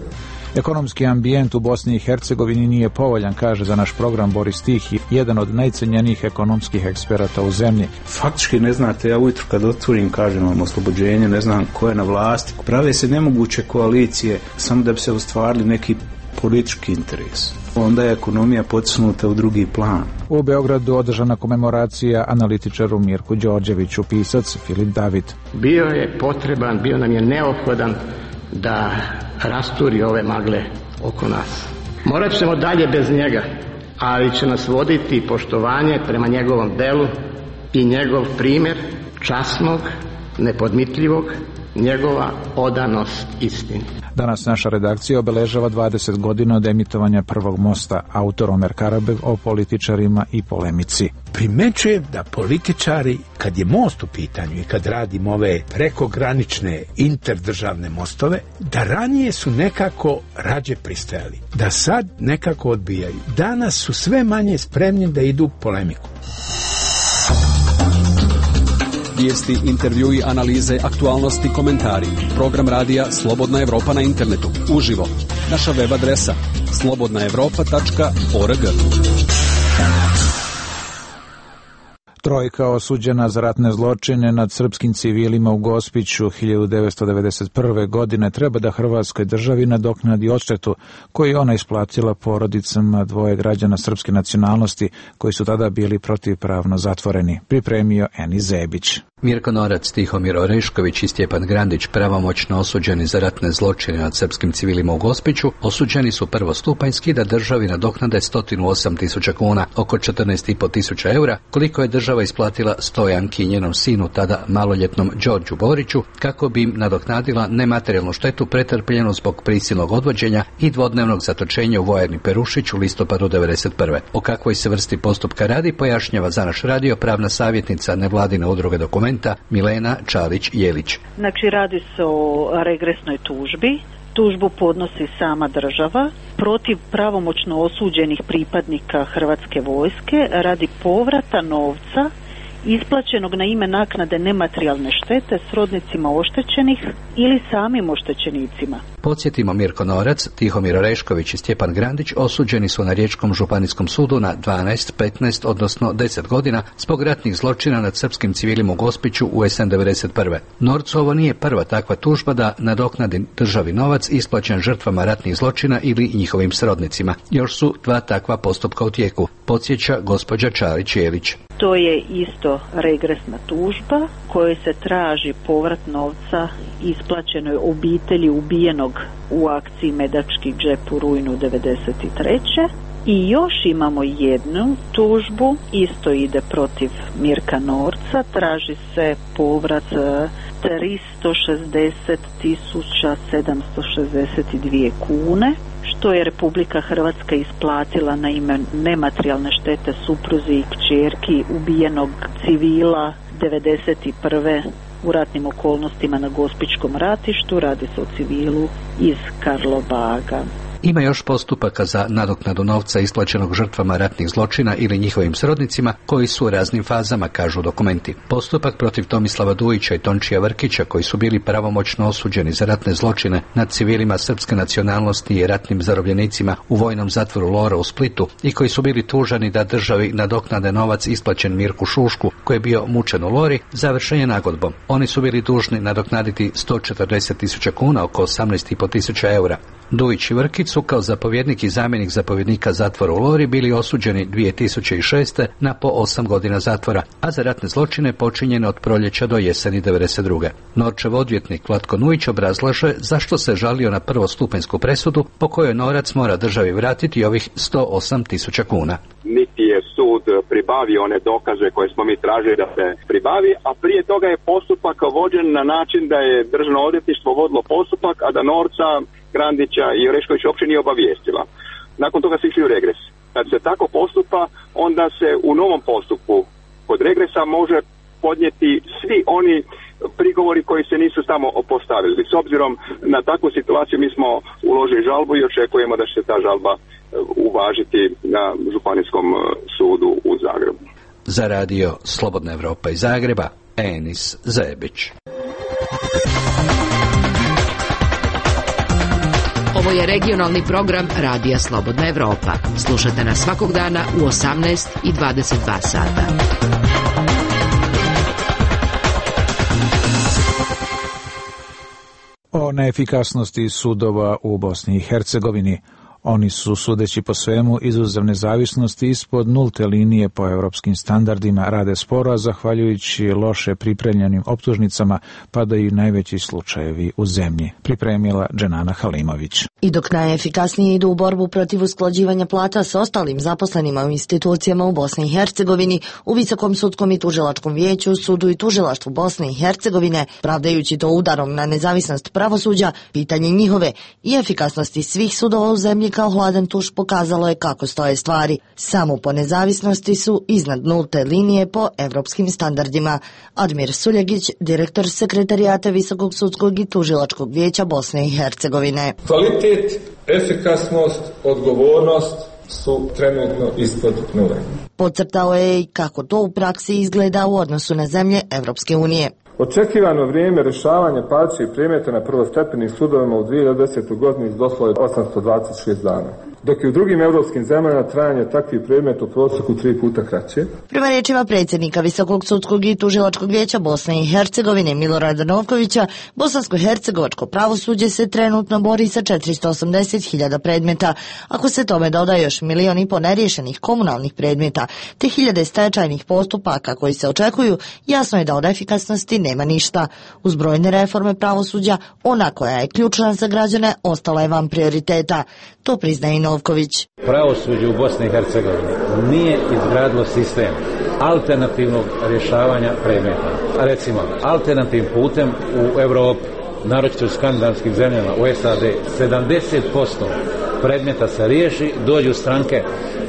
Ekonomski ambijent u Bosni i Hercegovini nije povoljan, kaže za naš program Boris Tihi, jedan od najcenjenijih ekonomskih eksperata u zemlji. Faktički ne znate, ja ujutro kad otvorim, kažem vam oslobođenje, ne znam ko je na vlasti. Prave se nemoguće koalicije samo da bi se ostvarili neki politički interes. Onda je ekonomija potisnuta u drugi plan. U Beogradu održana komemoracija analitičaru Mirku Đorđeviću, pisac Filip David. Bio je potreban, bio nam je neophodan da rasturi ove magle oko nas. Morat ćemo dalje bez njega, ali će nas voditi poštovanje prema njegovom delu i njegov primjer časnog, nepodmitljivog, njegova odanost istini. Danas naša redakcija obeležava dvadeset godina od emitovanja prvog mosta. Autor Omer Karabek o političarima i polemici. Primećujem da političari, kad je most u pitanju i kad radimo ove prekogranične interdržavne mostove, da ranije su nekako rađe pristajali, da sad nekako odbijaju. Danas su sve manje spremni da idu polemiku. Vijesti, intervjui, analize, aktualnosti, komentari. Program radija Slobodna Evropa na internetu. Uživo. Naša web adresa slobodna evropa tačka org. Trojka osuđena za ratne zločine nad srpskim civilima u Gospiću hiljadu devetsto devedeset prve godine treba da Hrvatskoj državi nadoknadi odštetu koju ona isplatila porodicama dvoje građana srpske nacionalnosti koji su tada bili protivpravno zatvoreni. Pripremio Eni Zebić. Mirko Norac, Tihomir Orešković i Stjepan Grandić, pravomoćno osuđeni za ratne zločine nad srpskim civilima u Gospiću, osuđeni su prvostupanjski da državi nadoknade sto osam tisuća kuna, oko četrnaest i po tisuća eura, koliko je država isplatila Stojanki i njenom sinu, tada maloljetnom Đorđu Boriću, kako bi im nadoknadila nematerijalnu štetu pretrpljenu zbog prisilnog odvođenja i dvodnevnog zatočenja u vojarni Perušić u listopadu devedeset prve. O kakvoj se vrsti postupka radi, pojašnjava za naš radio pravna savjetnica nevladine udruge Dokumenta Milena Čalić Jelić. Znači, radi se o regresnoj tužbi. Tužbu podnosi sama država protiv pravomoćno osuđenih pripadnika Hrvatske vojske radi povrata novca isplaćenog na ime naknade nematerijalne štete srodnicima oštećenih ili samim oštećenicima. Podsjetimo, Mirko Norac, Tihomir Orešković i Stjepan Grandić osuđeni su na Riječkom županijskom sudu na dvanaest, petnaest, odnosno deset godina zbog ratnih zločina nad srpskim civilima u Gospiću u jesen devedeset prve. Norcu ovo nije prva takva tužba da nadoknadi državi novac isplaćen žrtvama ratnih zločina ili njihovim srodnicima. Još su dva takva postupka u tijeku, podsjeća gospođa Čalić-Jelić. To je isto regresna tužba kojoj se traži povrat novca isplaćenoj obitelji ubijenog u akciji Medački džep u rujnu devedeset treće. I još imamo jednu tužbu, isto ide protiv Mirka Norca, traži se povrat tristo šezdeset tisuća sedamsto šezdeset dvije kune, što je Republika Hrvatska isplatila na ime nematerijalne štete supruzi i kćerki ubijenog civila devedeset prve u ratnim okolnostima na Gospićkom ratištu. Radi se o civilu iz Karlobaga. Ima još postupaka za nadoknadu novca isplaćenog žrtvama ratnih zločina ili njihovim srodnicima koji su u raznim fazama, kažu dokumenti. Postupak protiv Tomislava Dujića i Tončija Vrkića, koji su bili pravomoćno osuđeni za ratne zločine nad civilima srpske nacionalnosti i ratnim zarobljenicima u vojnom zatvoru Lora u Splitu i koji su bili tužani da državi nadoknade novac isplaćen Mirku Šušku, koji je bio mučen u Lori, završen je nagodbom. Oni su bili dužni nadoknaditi sto četrdeset tisuća kuna, oko osamnaest i po tisuća eura. Dujić i Vrkić su kao zapovjednik i zamjenik zapovjednika zatvora u Lori bili osuđeni dvije tisuće šeste. na po osam godina zatvora, a za ratne zločine počinjene od proljeća do jeseni devedeset druge. Norčev odvjetnik Vlatko Nujić obrazlaže zašto se žalio na prvostupanjsku presudu po kojoj Norac mora državi vratiti ovih sto osam tisuća kuna. Niti je sud pribavio one dokaze koje smo mi tražili da se pribavi, a prije toga je postupak vođen na način da je državno odvjetništvo vodilo postupak, a da Norca, Grandića i Oreškovića uopće nije obavijestila. Nakon toga se išli u regres. Kad se tako postupa, onda se u novom postupku kod regresa može podnijeti svi oni prigovori koji se nisu samo postavili. S obzirom na takvu situaciju mi smo uložili žalbu i očekujemo da će se ta žalba uvažiti na Županijskom sudu u Zagrebu. Za radio Slobodna Evropa iz Zagreba, Enis Zebić. Ovo je regionalni program Radija Slobodna Evropa. Slušajte nas svakog dana u osamnaest i dvadeset dva sata. O neefikasnosti sudova u Bosni i Hercegovini. Oni su, sudeći po svemu, izuzev nezavisnosti ispod nulte linije po europskim standardima, rade sporo, a zahvaljujući loše pripremljenim optužnicama padaju najveći slučajevi u zemlji, pripremila Dženana Halimović. I dok najefikasnije idu u borbu protiv usklađivanja plata s ostalim zaposlenima u institucijama u Bosni i Hercegovini, u Visokom sudskom i tužilačkom vijeću, sudu i tužilaštvu Bosne i Hercegovine, pravdajući to udarom na nezavisnost pravosuđa, pitanje njihove i efikasnosti svih sudova u zemlji kao hladan tuš pokazalo je kako stoje stvari. Samo po nezavisnosti su iznad nulte linije po evropskim standardima. Admir Suljegić, direktor sekretarijata Visokog sudskog i tužilačkog vijeća Bosne i Hercegovine. Kvalitet, efikasnost, odgovornost su trenutno ispod nule. Podcrtao je i kako to u praksi izgleda u odnosu na zemlje Evropske unije. Očekivano vrijeme rješavanja parničnih predmeta na prvostepenim sudovima u dvije hiljade desetoj godini iznosilo je osamsto dvadeset šest dana, dok je u drugim europskim zemljama trajanje takvih predmeta u prosjeku tri puta kraće. Prema riječima predsjednika Visokog sudskog i tužilačkog vijeća Bosne i Hercegovine Milorada Novkovića, bosansko-hercegovačko pravosuđe se trenutno bori sa četiristo osamdeset hiljada predmeta. Ako se tome doda još milion i po neriješenih komunalnih predmeta, te hiljade stečajnih postupaka koji se očekuju, jasno je da od efikasnosti nema ništa. Uz brojne reforme pravosuđa, ona koja je ključna za građane ostala je van prioriteta. To priznaje i Novković. Pravosuđe u Bosni i Hercegovini nije izgradilo sistem alternativnog rješavanja predmeta. A recimo, alternativnim putem u Evropi, naročito u skandinavskim zemljama, u S A D, sedamdeset posto predmeta se riješi, dođu stranke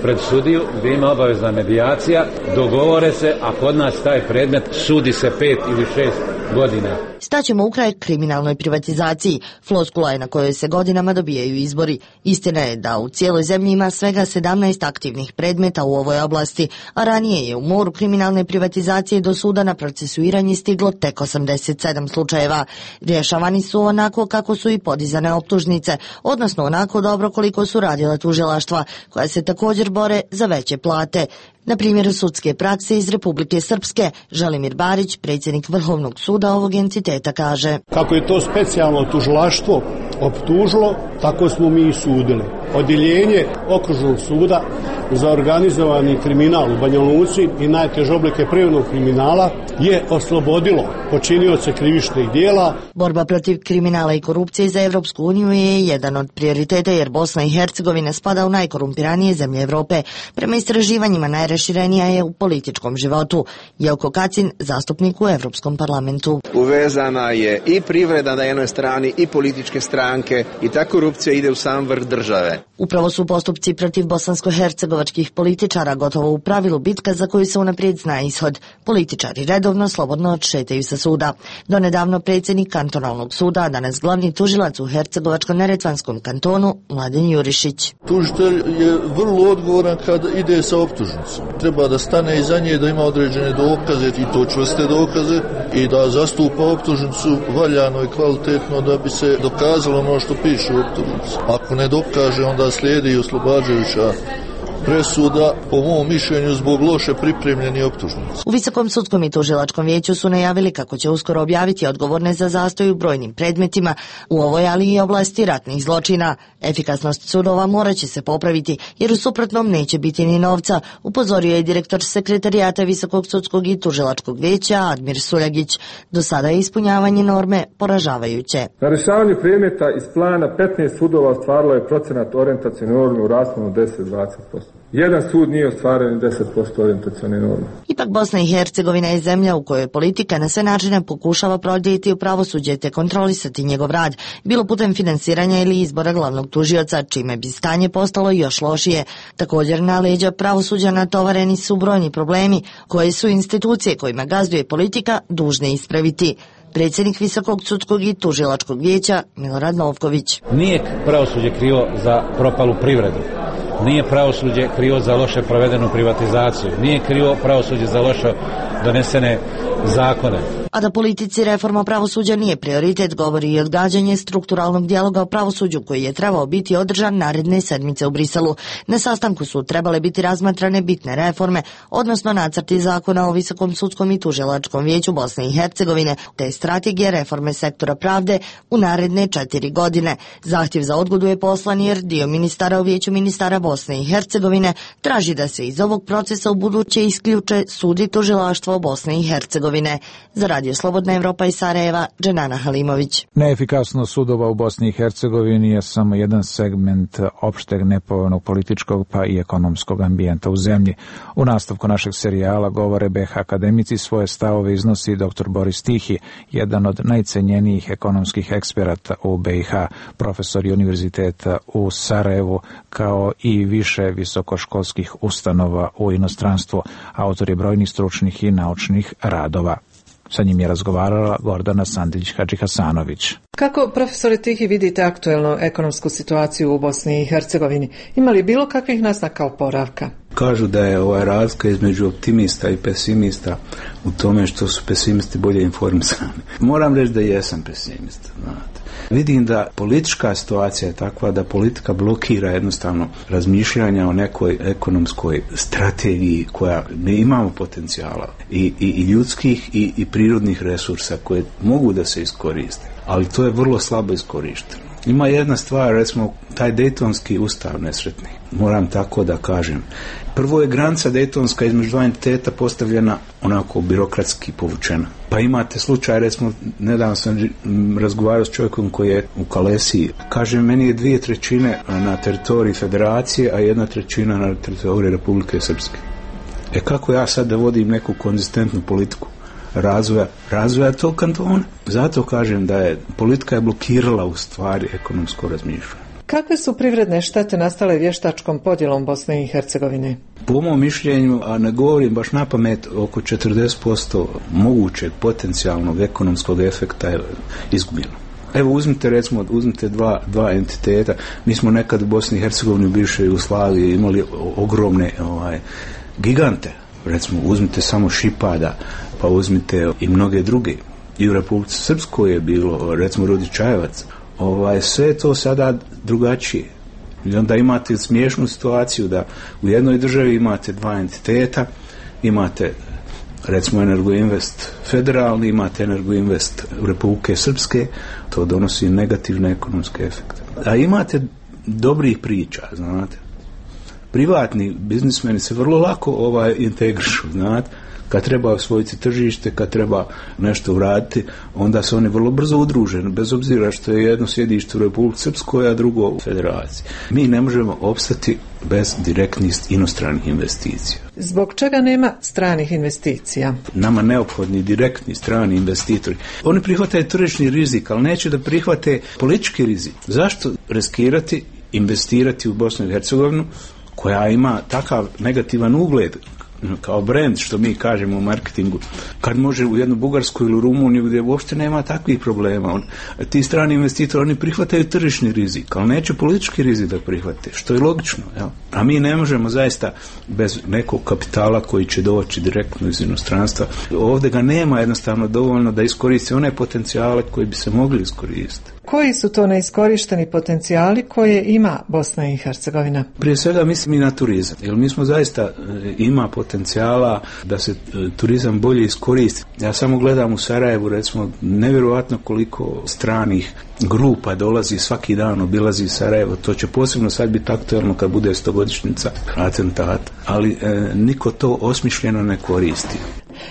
pred sudiju gdje ima obavezna medijacija, dogovore se, a kod nas taj predmet sudi se pet ili šest godina. Staćemo u kraj kriminalnoj privatizaciji. Floskula je na kojoj se godinama dobijaju izbori. Istina je da u cijeloj zemlji ima svega sedamnaest aktivnih predmeta u ovoj oblasti, a ranije je u moru kriminalne privatizacije do suda na procesuiranje stiglo tek osamdeset sedam slučajeva. Rješavani su onako kako su i podizane optužnice, odnosno onako dobro koliko su radila tužilaštva, koja se također bore za veće plate. Na primjeru sudske prakse iz Republike Srpske, Želimir Barić, predsjednik Vrhovnog suda ovog entiteta, kaže: kako je to specijalno tužilaštvo optužilo, tako smo mi i sudili. Odjeljenje okružnog suda za organizovani kriminal u Banja Luci i najteže oblike privrednog kriminala je oslobodilo počinioce krivičnih dijela. Borba protiv kriminala i korupcije za Evropsku uniju je jedan od prioriteta, jer Bosna i Hercegovina spada u najkorumpiranije zemlje Evrope. Prema istraživanjima najraširenija je u političkom životu. Jelko Kacin, zastupnik u Evropskom parlamentu. Uvezana je i privreda na jednoj strani i političke stranke i ta korupcija ide u sam vrh države. Upravo su postupci protiv bosansko-hercegovačkih političara gotovo u pravilu bitka za koju se unaprijed zna ishod. Političari redovno slobodno odšetaju sa suda. Donedavno predsjednik kantonalnog suda, a danas glavni tužilac u Hercegovačko-neretvanskom kantonu, Mladen Jurišić. Tužitelj je vrlo odgovoran kad ide sa optužnicom. Treba da stane iza nje, da ima određene dokaze i to čvrste dokaze i da zastupa optužnicu valjano i kvalitetno da bi se dokazalo ono što piše u optužnici. Ako ne dokaže, onda slijedi i oslobađajuća presuda, po mom mišljenju, zbog loše pripremljeni optužnici. U Visokom sudskom i tužilačkom vijeću su najavili kako će uskoro objaviti odgovorne za zastoj u brojnim predmetima u ovoj, ali i oblasti ratnih zločina. Efikasnost sudova morat će se popraviti, jer u suprotnom neće biti ni novca, upozorio je direktor sekretarijata Visokog sudskog i tužilačkog vijeća Admir Suljagić. Do sada je ispunjavanje norme poražavajuće. Na rješavanju predmeta iz plana petnaest sudova ostvarilo je procenat orijentacione norme u rasponu deset do dvadeset posto. Jedan sud nije ostvaren deset posto orijentacione norme. Ipak Bosna i Hercegovina je zemlja u kojoj politika na sve načine pokušava prodjeti u pravosuđe te kontrolisati njegov rad, bilo putem finansiranja ili izbora glavnog tužioca, čime bi stanje postalo još lošije. Također na leđa pravosuđa natovareni su brojni problemi koje su institucije kojima gazduje politika dužne ispraviti. Predsjednik Visokog sudskog i tužilačkog vijeća Milorad Novković. Nije pravosuđe krivo za propalu privredu. Nije pravosuđe krivo za loše provedenu privatizaciju. Nije krivo pravosuđe za loše donesene zakone. A da politici reforma pravosuđa nije prioritet, govori i odgađanje strukturalnog dijaloga o pravosuđu koji je trebao biti održan naredne sedmice u Briselu. Na sastanku su trebale biti razmatrane bitne reforme, odnosno nacrti zakona o Visokom sudskom i tužilačkom vijeću Bosne i Hercegovine, te strategije reforme sektora pravde u naredne četiri godine. Zahtjev za odgodu je poslan jer dio ministara u vijeću ministara Bosne i Hercegovine traži da se iz ovog procesa u buduće isključe sud i tužilaštvo Bosne i Hercegovine. Za Radio Slobodna Evropa iz Sarajeva, Dženana Halimović. Neefikasnost sudova u Bosni i Hercegovini je samo jedan segment opšteg nepovoljnog političkog pa i ekonomskog ambijenta u zemlji. U nastavku našeg serijala Govore B H akademici svoje stavove iznosi dr Boris Tihi, jedan od najcenjenijih ekonomskih eksperata u B i H, profesor univerziteta u Sarajevu, kao i više visokoškolskih ustanova u inostranstvu, autor je brojnih stručnih i naučnih radova. Sa njim je razgovarala Gordana Sandić-Hadžihasanović. Kako, profesore Tihi, vidite aktuelnu ekonomsku situaciju u Bosni i Hercegovini? Ima li bilo kakvih naznaka oporavka? Kažu da je ova razlika između optimista i pesimista u tome što su pesimisti bolje informisani. Moram reći da jesam pesimista, znate. Vidim da politička situacija je takva da politika blokira jednostavno razmišljanja o nekoj ekonomskoj strategiji koja ne imamo potencijala i, i, i ljudskih i, i prirodnih resursa koje mogu da se iskoriste, ali to je vrlo slabo iskorišteno. Ima jedna stvar, recimo, taj Dejtonski ustav nesretni, moram tako da kažem. Prvo je granica Dejtonska između dva entiteta postavljena onako birokratski povučena. Pa imate slučaj, recimo, nedavno sam razgovarao s čovjekom koji je u Kalesiji. Kaže, meni je dvije trećine na teritoriji federacije, a jedna trećina na teritoriji Republike Srpske. E kako ja sad da vodim neku konzistentnu politiku razvoja, razvoja tog kantona? Zato kažem da je politika je blokirala u stvari ekonomsko razmišljanje. Kakve su privredne štete nastale vještačkom podjelom Bosne i Hercegovine? Po mom mišljenju, a ne govorim baš na pamet, oko četrdeset posto mogućeg potencijalnog ekonomskog efekta je izgubljeno. Evo uzmite recimo, uzmite dva, dva entiteta. Mi smo nekad u Bosni i Hercegovini u bivšoj Jugoslaviji imali ogromne ovaj, gigante. Recimo uzmite samo Šipada, pa uzmite i mnoge druge. I u Republici Srpskoj je bilo, recimo Rudi Čajevac. Ovaj, sve je to sada drugačije. I onda imate smiješnu situaciju da u jednoj državi imate dva entiteta, imate recimo Energoinvest federalni, imate Energoinvest Republike Srpske, to donosi negativne ekonomske efekte. A imate dobrih priča, znate. Privatni biznismeni se vrlo lako ovaj integrišu, znate. Kad treba osvojiti tržište, kad treba nešto uraditi, onda se oni vrlo brzo udruže, bez obzira što je jedno sjedište u Republici Srpskoj, a drugo u Federaciji. Mi ne možemo opstati bez direktnih inostranih investicija. Zbog čega nema stranih investicija? Nama neophodni direktni strani investitori. Oni prihvataju tržišni rizik, ali neće da prihvate politički rizik. Zašto riskirati, investirati u Bosnu i Hercegovinu, koja ima takav negativan ugled kao brand, što mi kažemo u marketingu, kad može u jednu Bugarsku ili u Rumuniju gdje uopšte nema takvih problema. On, ti strani investitori, oni prihvataju tržišni rizik, ali neće politički rizik da prihvate, što je logično. Jel? A mi ne možemo zaista bez nekog kapitala koji će doći direktno iz inostranstva. Ovdje ga nema jednostavno dovoljno da iskoristi one potencijale koji bi se mogli iskoristiti. Koji su to neiskorišteni potencijali koje ima Bosna i Hercegovina? Prije svega mislim i na turizam, jer mi smo zaista ima potencijala da se turizam bolje iskoristi. Ja samo gledam u Sarajevu, recimo, nevjerojatno koliko stranih grupa dolazi svaki dan, obilazi Sarajevo. To će posebno sad biti aktualno kad bude stogodišnjica atentata, ali e, niko to osmišljeno ne koristi.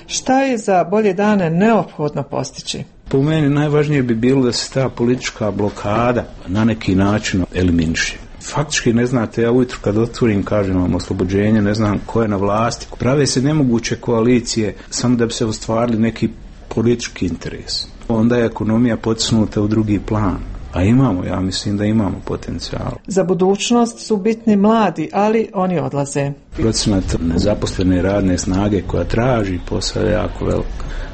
Šta je za bolje dane neophodno postići? Po meni najvažnije bi bilo da se ta politička blokada na neki način eliminiše. Faktički ne znate, ja ujutro kad otvorim, kažem vam oslobođenje, ne znam ko je na vlasti. Prave se nemoguće koalicije samo da bi se ostvarili neki politički interes. Onda je ekonomija potisnuta u drugi plan. A imamo, ja mislim da imamo potencijal. Za budućnost su bitni mladi, ali oni odlaze. Procenat nezaposlene radne snage koja traži posao je jako velik.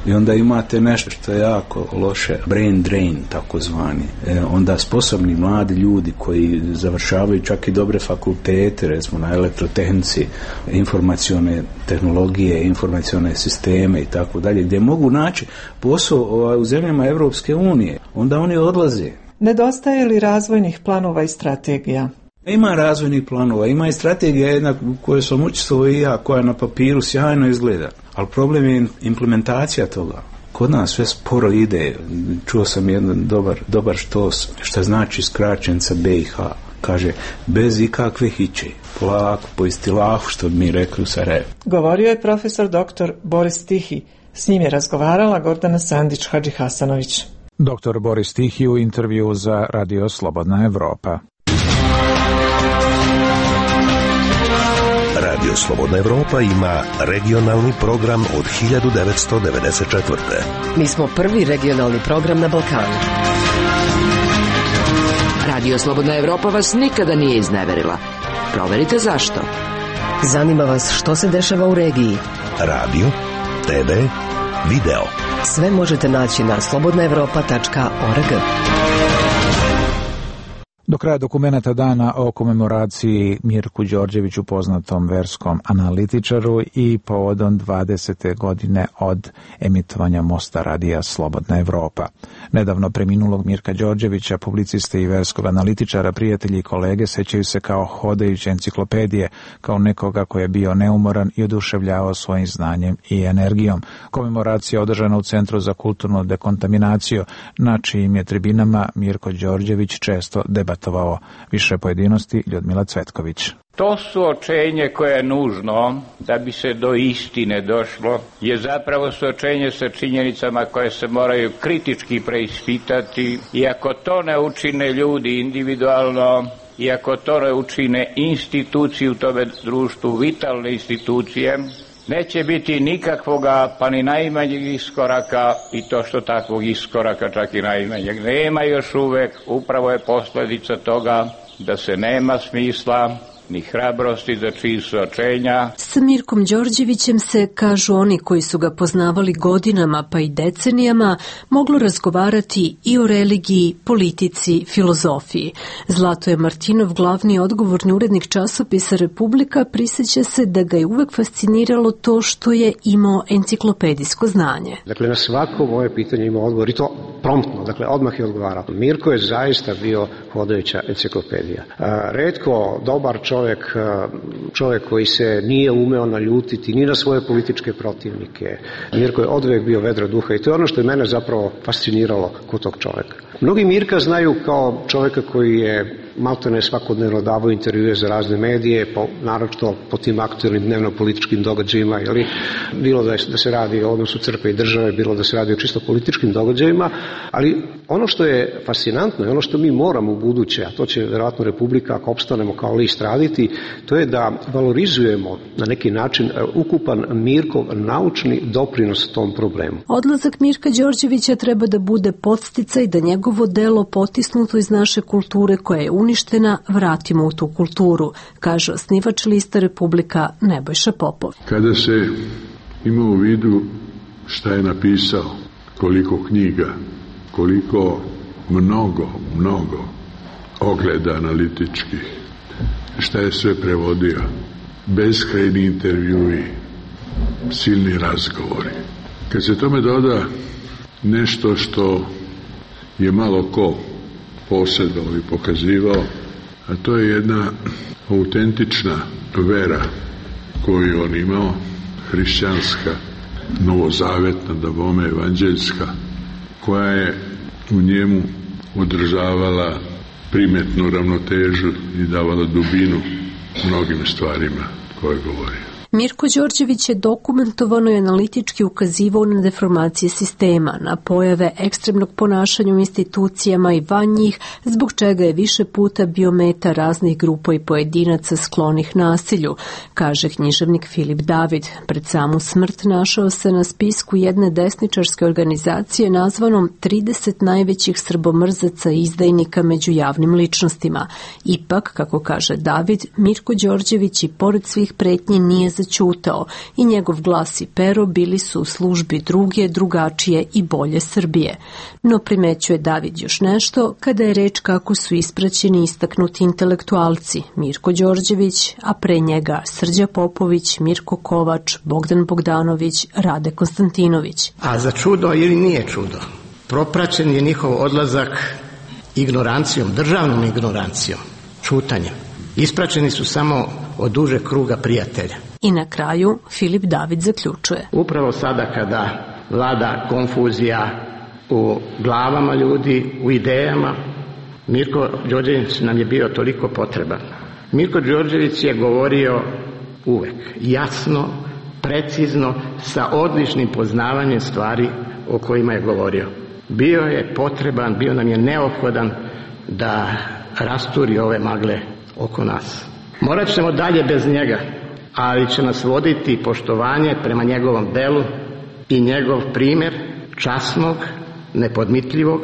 I onda imate nešto što je jako loše, brain drain takozvani. E, onda sposobni mladi ljudi koji završavaju čak i dobre fakultete, recimo na elektrotehnici, informacione tehnologije, informacione sisteme i tako dalje, gdje mogu naći posao u zemljama Evropske unije, onda oni odlaze. Nedostaje li razvojnih planova i strategija? Ima razvojnih planova, ima i strategija jedna koju sam učestvovao i ja, koja na papiru sjajno izgleda, ali problem je implementacija toga. Kod nas sve sporo ide. Čuo sam jedan dobar, dobar štos, što znači skraćenca B i H. Kaže, bez ikakve hiće, polako, po istilahu, što bi mi rekli u Sarajevu. Govorio je profesor doktor Boris Tihi. S njim je razgovarala Gordana Sandić-Hadžihasanović. Doktor Boris Tihi u intervju za Radio Slobodna Evropa. Radio Slobodna Evropa ima regionalni program od hiljadu devetsto devedeset četvrte. Mi smo prvi regionalni program na Balkanu. Radio Slobodna Evropa vas nikada nije izneverila. Proverite zašto. Zanima vas što se dešava u regiji. Radio, te ve, video. Sve možete naći na slobodna evropa tačka org. Do kraja dokumenata dana o komemoraciji Mirku Đorđeviću, poznatom verskom analitičaru, i povodom dvadesete godine od emitovanja Mosta radija Slobodna Evropa. Nedavno preminulog Mirka Đorđevića, publiciste i verskog analitičara, prijatelji i kolege sećaju se kao hodajuće enciklopedije, kao nekoga koji je bio neumoran i oduševljavao svojim znanjem i energijom. Komemoracija održana u Centru za kulturnu dekontaminaciju, na čijim je tribinama Mirko Đorđević često debatovao. Više pojedinosti Ljudmila Cvetković. To suočenje koje je nužno da bi se do istine došlo je zapravo suočenje sa činjenicama koje se moraju kritički preispitati, i ako to ne učine ljudi individualno, i ako to ne učine institucije u tome društvu, vitalne institucije, neće biti nikakvoga, pa ni najmanjeg iskoraka, i to što takvog iskoraka čak i najmanjeg nema još uvek, upravo je posljedica toga da se nema smisla ni hrabrosti za čiji suočenja. S Mirkom Đorđevićem se, kažu oni koji su ga poznavali godinama pa i decenijama, moglo razgovarati i o religiji, politici, filozofiji. Zlatoje Martinov, glavni odgovorni urednik časopisa Republika, prisjeća se da ga je uvek fasciniralo to što je imao enciklopedijsko znanje. Dakle, na svako moje pitanje imao odgovor i to promptno, dakle, odmah je odgovarao. Mirko je zaista bio hodajuća enciklopedija. Retko dobar čovjek Čovjek, čovjek koji se nije umeo naljutiti ni na svoje političke protivnike. Mirko je odvijek bio vedra duha i to je ono što je mene zapravo fasciniralo kod tog čovjeka. Mnogi Mirka znaju kao čovjeka koji je maltene svakodnevno davao intervjue za razne medije, po, naročito po tim aktualnim dnevno-političkim događajima, jeli, bilo da, je, da se radi o odnosu crkve i države, bilo da se radi o čisto političkim događajima, ali ono što je fascinantno i ono što mi moramo u buduće, a to će vjerojatno Republika, ako opstanemo kao list, raditi, to je da valorizujemo na neki način ukupan Mirkov naučni doprinos tom problemu. Odlazak Mirka Đorđevića treba da bude podsticaj da njegovo delo potisnuto iz naše kulture koja je uništena vratimo u tu kulturu, kaže osnivač lista Republika Nebojša Popov. Kada se ima u vidu šta je napisao, koliko knjiga, koliko mnogo, mnogo ogleda analitičkih, šta je sve prevodio, beskrajni intervjui, silni razgovori. Kad se tome doda nešto što je malo ko posjedovao i pokazivao, a to je jedna autentična vera koju on imao, hrišćanska, novozavetna, da bome evanđeljska, koja je u njemu održavala primetnu ravnotežu i davala dubinu mnogim stvarima koje govorio. Mirko Đorđević je dokumentovano i analitički ukazivao na deformacije sistema, na pojave ekstremnog ponašanja u institucijama i van njih, zbog čega je više puta bio meta raznih grupa i pojedinaca sklonih nasilju, kaže književnik Filip David. Pred samu smrt našao se na spisku jedne desničarske organizacije nazvanom trideset najvećih srbomrzaca i izdajnika među javnim ličnostima. Ipak, kako kaže David, Mirko Đorđević i pored svih pretnji nije začutao i njegov glas i pero bili su u službi druge, drugačije i bolje Srbije. No primećuje David još nešto kada je reč kako su ispraćeni istaknuti intelektualci Mirko Đorđević, a pre njega Srđa Popović, Mirko Kovač, Bogdan Bogdanović, Rade Konstantinović. A za čudo ili nije čudo, propraćen je njihov odlazak ignorancijom, državnom ignorancijom, čutanjem. Ispraćeni su samo od duže kruga prijatelja. I na kraju Filip David zaključuje. Upravo sada kada vlada konfuzija u glavama ljudi, u idejama, Mirko Đorđević nam je bio toliko potreban. Mirko Đorđević je govorio uvek jasno, precizno, sa odličnim poznavanjem stvari o kojima je govorio. Bio je potreban, bio nam je neophodan da rasturi ove magle oko nas. Morat ćemo dalje bez njega, ali će nas voditi poštovanje prema njegovom delu i njegov primjer časnog, nepodmitljivog,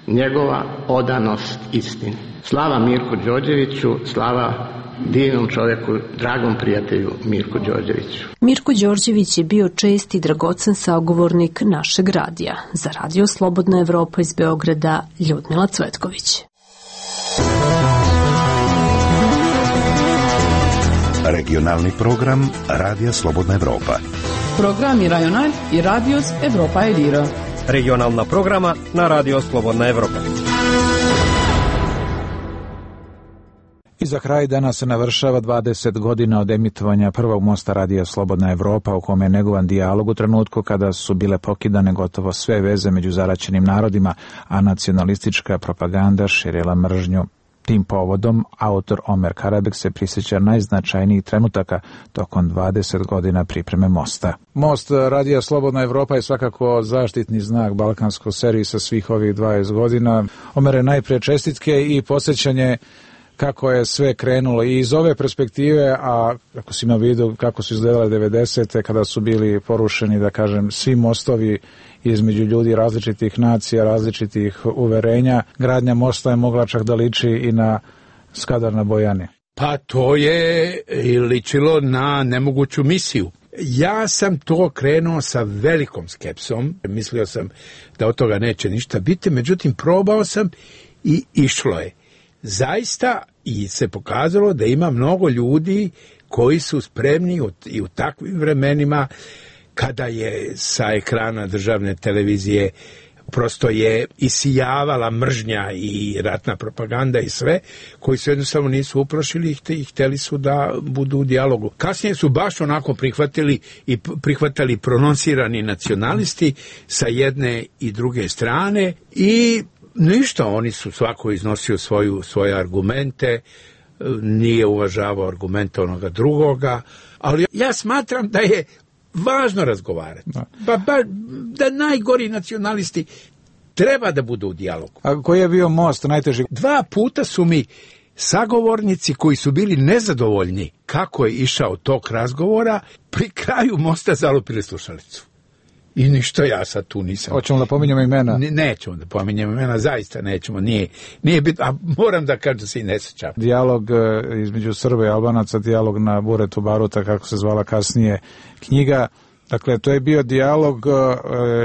njegova odanost istini. Slava Mirku Đorđeviću, slava divnom čovjeku, dragom prijatelju Mirku Đorđeviću. Mirko Đorđević je bio čest i dragocen sagovornik našeg radija. Za Radio Slobodna Evropa iz Beograda, Ljudmila Cvetković. Regionalni program Radija Slobodna Evropa. Program Rajonal i Radios Evropa Elira. Regionalna programa na Radio Slobodna Evropa. I za kraj danas se navršava dvadeset godina od emitovanja prvog mosta Radija Slobodna Evropa, u kome je negovan dijalog u trenutku kada su bile pokidane gotovo sve veze među zaraćenim narodima, a nacionalistička propaganda širila mržnju. Tim povodom autor Omer Karabek se prisjeća najznačajnijih trenutaka tokom dvadeset godina pripreme mosta. Most Radija Slobodna Evropa je svakako zaštitni znak balkanskog servisa svih ovih dvadeset godina. Omere, najprije čestitke i podsjećanje kako je sve krenulo i iz ove perspektive, a ako si ima vidu kako su izgledale devedesete kada su bili porušeni, da kažem, svi mostovi između ljudi različitih nacija, različitih uverenja. Gradnja mosta je mogla čak da liči i na Skadar na Bojani. Pa to je ličilo na nemoguću misiju. Ja sam to krenuo sa velikom skepsom, mislio sam da od toga neće ništa biti, međutim probao sam i išlo je. Zaista i se pokazalo da ima mnogo ljudi koji su spremni i u takvim vremenima kada je sa ekrana državne televizije prosto je isijavala mržnja i ratna propaganda i sve, koji su jednostavno nisu uplašili i htjeli su da budu u dijalogu. Kasnije su baš onako prihvatili i prihvatali prononsirani nacionalisti sa jedne i druge strane i ništa, oni su svako iznosio svoju, svoje argumente, nije uvažavao argumente onoga drugoga, ali ja smatram da je važno razgovarati. Pa, ba, da najgori nacionalisti treba da budu u dijalogu. A koji je bio most najteži? Dva puta su mi sagovornici koji su bili nezadovoljni kako je išao tok razgovora, pri kraju mosta zalupili slušalicu. I ništa, ja sad tu nisam. Hoćemo da pominjemo imena? Ne, nećemo da pominjemo imena, zaista nećemo, nije, nije bitno, a moram da kažem da se i ne sjećam. Dijalog između Srba i Albanaca, dijalog na Buretu Baruta, kako se zvala kasnije knjiga. Dakle, to je bio dijalog e,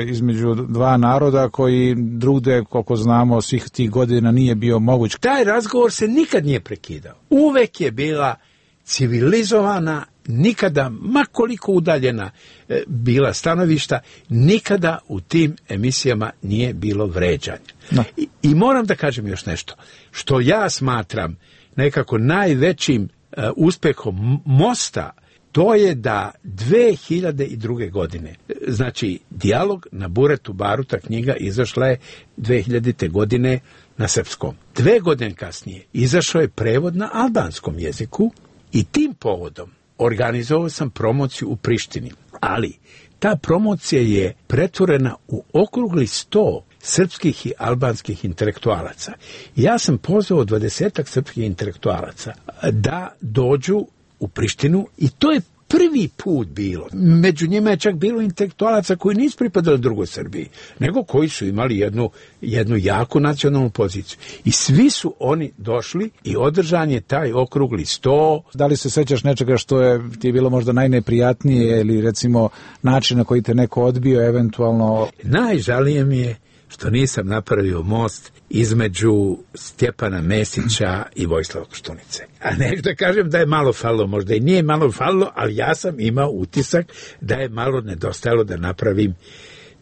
između dva naroda koji drugde, koliko znamo, svih tih godina nije bio moguć. Taj razgovor se nikad nije prekidao. Uvek je bila civilizovana, nikada, ma koliko udaljena e, bila stanovišta, nikada u tim emisijama nije bilo vređanja. No. I, I moram da kažem još nešto, što ja smatram nekako najvećim e, uspehom Mosta, to je da dve hiljade druge. godine, znači dijalog na Buretu Baruta, knjiga izašla je dve hiljadite. godine na srpskom. Dve godine kasnije izašao je prevod na albanskom jeziku i tim povodom organizovao sam promociju u Prištini. Ali ta promocija je pretvorena u okrugli sto srpskih i albanskih intelektualaca. Ja sam pozvao dvadesetak srpskih intelektualaca da dođu u Prištinu i to je prvi put bilo. Među njima je čak bilo intelektualaca koji nisu pripadali drugoj Srbiji, nego koji su imali jednu, jednu jaku nacionalnu poziciju. I svi su oni došli i održan je taj okrugli sto. Da li se sećaš nečega što je ti je bilo možda najneprijatnije ili recimo način na koji te neko odbio eventualno? Najžalije mi je što nisam napravio most između Stjepana Mesića i Vojislava Koštunice. A ne da kažem da je malo falilo, možda i nije malo falilo, ali ja sam imao utisak da je malo nedostajalo da napravim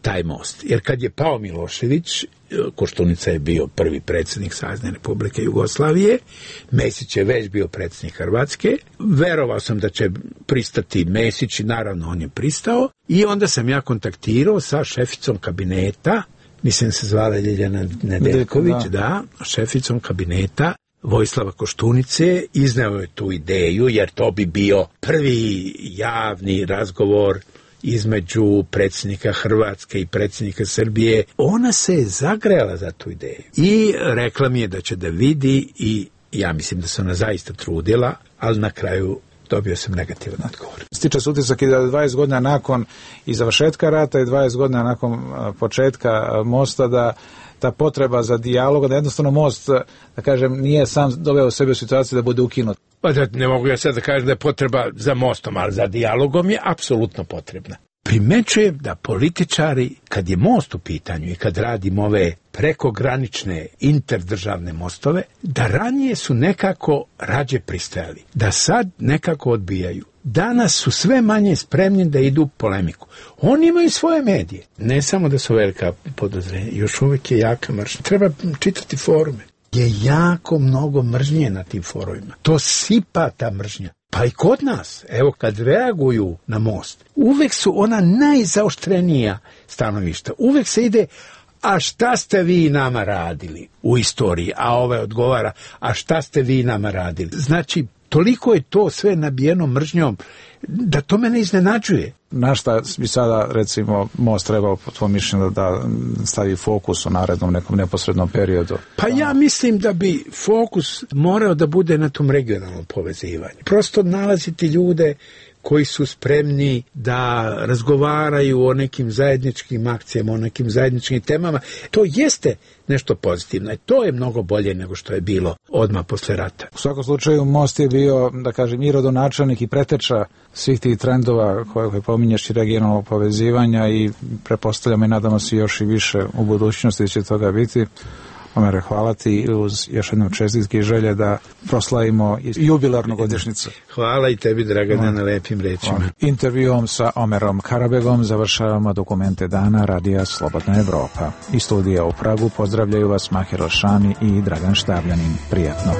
taj most. Jer kad je pao Milošević, Koštunica je bio prvi predsjednik Savezne Republike Jugoslavije, Mesić je već bio predsjednik Hrvatske, verovao sam da će pristati Mesić i naravno on je pristao i onda sam ja kontaktirao sa šeficom kabineta, mislim se zvala Ljiljana Nedeljković, da. da, šeficom kabineta Vojislava Koštunice, izneo je tu ideju, jer to bi bio prvi javni razgovor između predsjednika Hrvatske i predsjednika Srbije. Ona se je zagrela za tu ideju i rekla mi je da će da vidi i ja mislim da se ona zaista trudila, ali na kraju dobio sam negativan odgovor. Stiče se utisak i da dvadeset godina nakon i završetka rata i dvadeset godina nakon početka mosta da ta potreba za dijalog, da jednostavno most, da kažem, nije sam doveo sebe u situaciju da bude ukinut. Pa da, ne mogu ja sad da kažem da je potreba za mostom, ali za dijalogom je apsolutno potrebna. Primećujem da političari, kad je most u pitanju i kad radimo ove prekogranične interdržavne mostove, da ranije su nekako rađe pristajali, da sad nekako odbijaju. Danas su sve manje spremni da idu u polemiku. Oni imaju svoje medije. Ne samo da su velika podozrenja, još uvijek je jaka mržnja. Treba čitati forume. Je jako mnogo mržnje na tim forumima. To sipa ta mržnja. Pa i kod nas, evo kad reaguju na most, uvek su ona najzaoštrenija stanovišta. Uvek se ide, a šta ste vi nama radili u istoriji? A ovaj odgovara, a šta ste vi nama radili? Znači, toliko je to sve nabijeno mržnjom da to mene iznenađuje. Na šta bi sada, recimo, most trebao po tvojom mišljenju da stavi fokus u narednom nekom neposrednom periodu? Pa ja mislim da bi fokus morao da bude na tom regionalnom povezivanju. Prosto nalaziti ljude koji su spremni da razgovaraju o nekim zajedničkim akcijama, o nekim zajedničkim temama. To jeste nešto pozitivno i to je mnogo bolje nego što je bilo odmah posle rata. U svakom slučaju Most je bio, da kažem, i rodonačelnik i preteča svih tih trendova koje, koje pominješ i regionalnog povezivanja i prepostavljamo i nadamo se još i više u budućnosti će toga biti. Omere, hvala ti uz još jednom čestitke i želje da proslavimo jubilarnu godišnjicu. Hvala i tebi, Dragane, na lepim rečima. Intervjuom sa Omerom Karabegom završavamo dokumente dana Radija Slobodna Evropa. Iz studija u Pragu pozdravljaju vas Mahir Alšani i Dragan Štavljanin. Prijetno.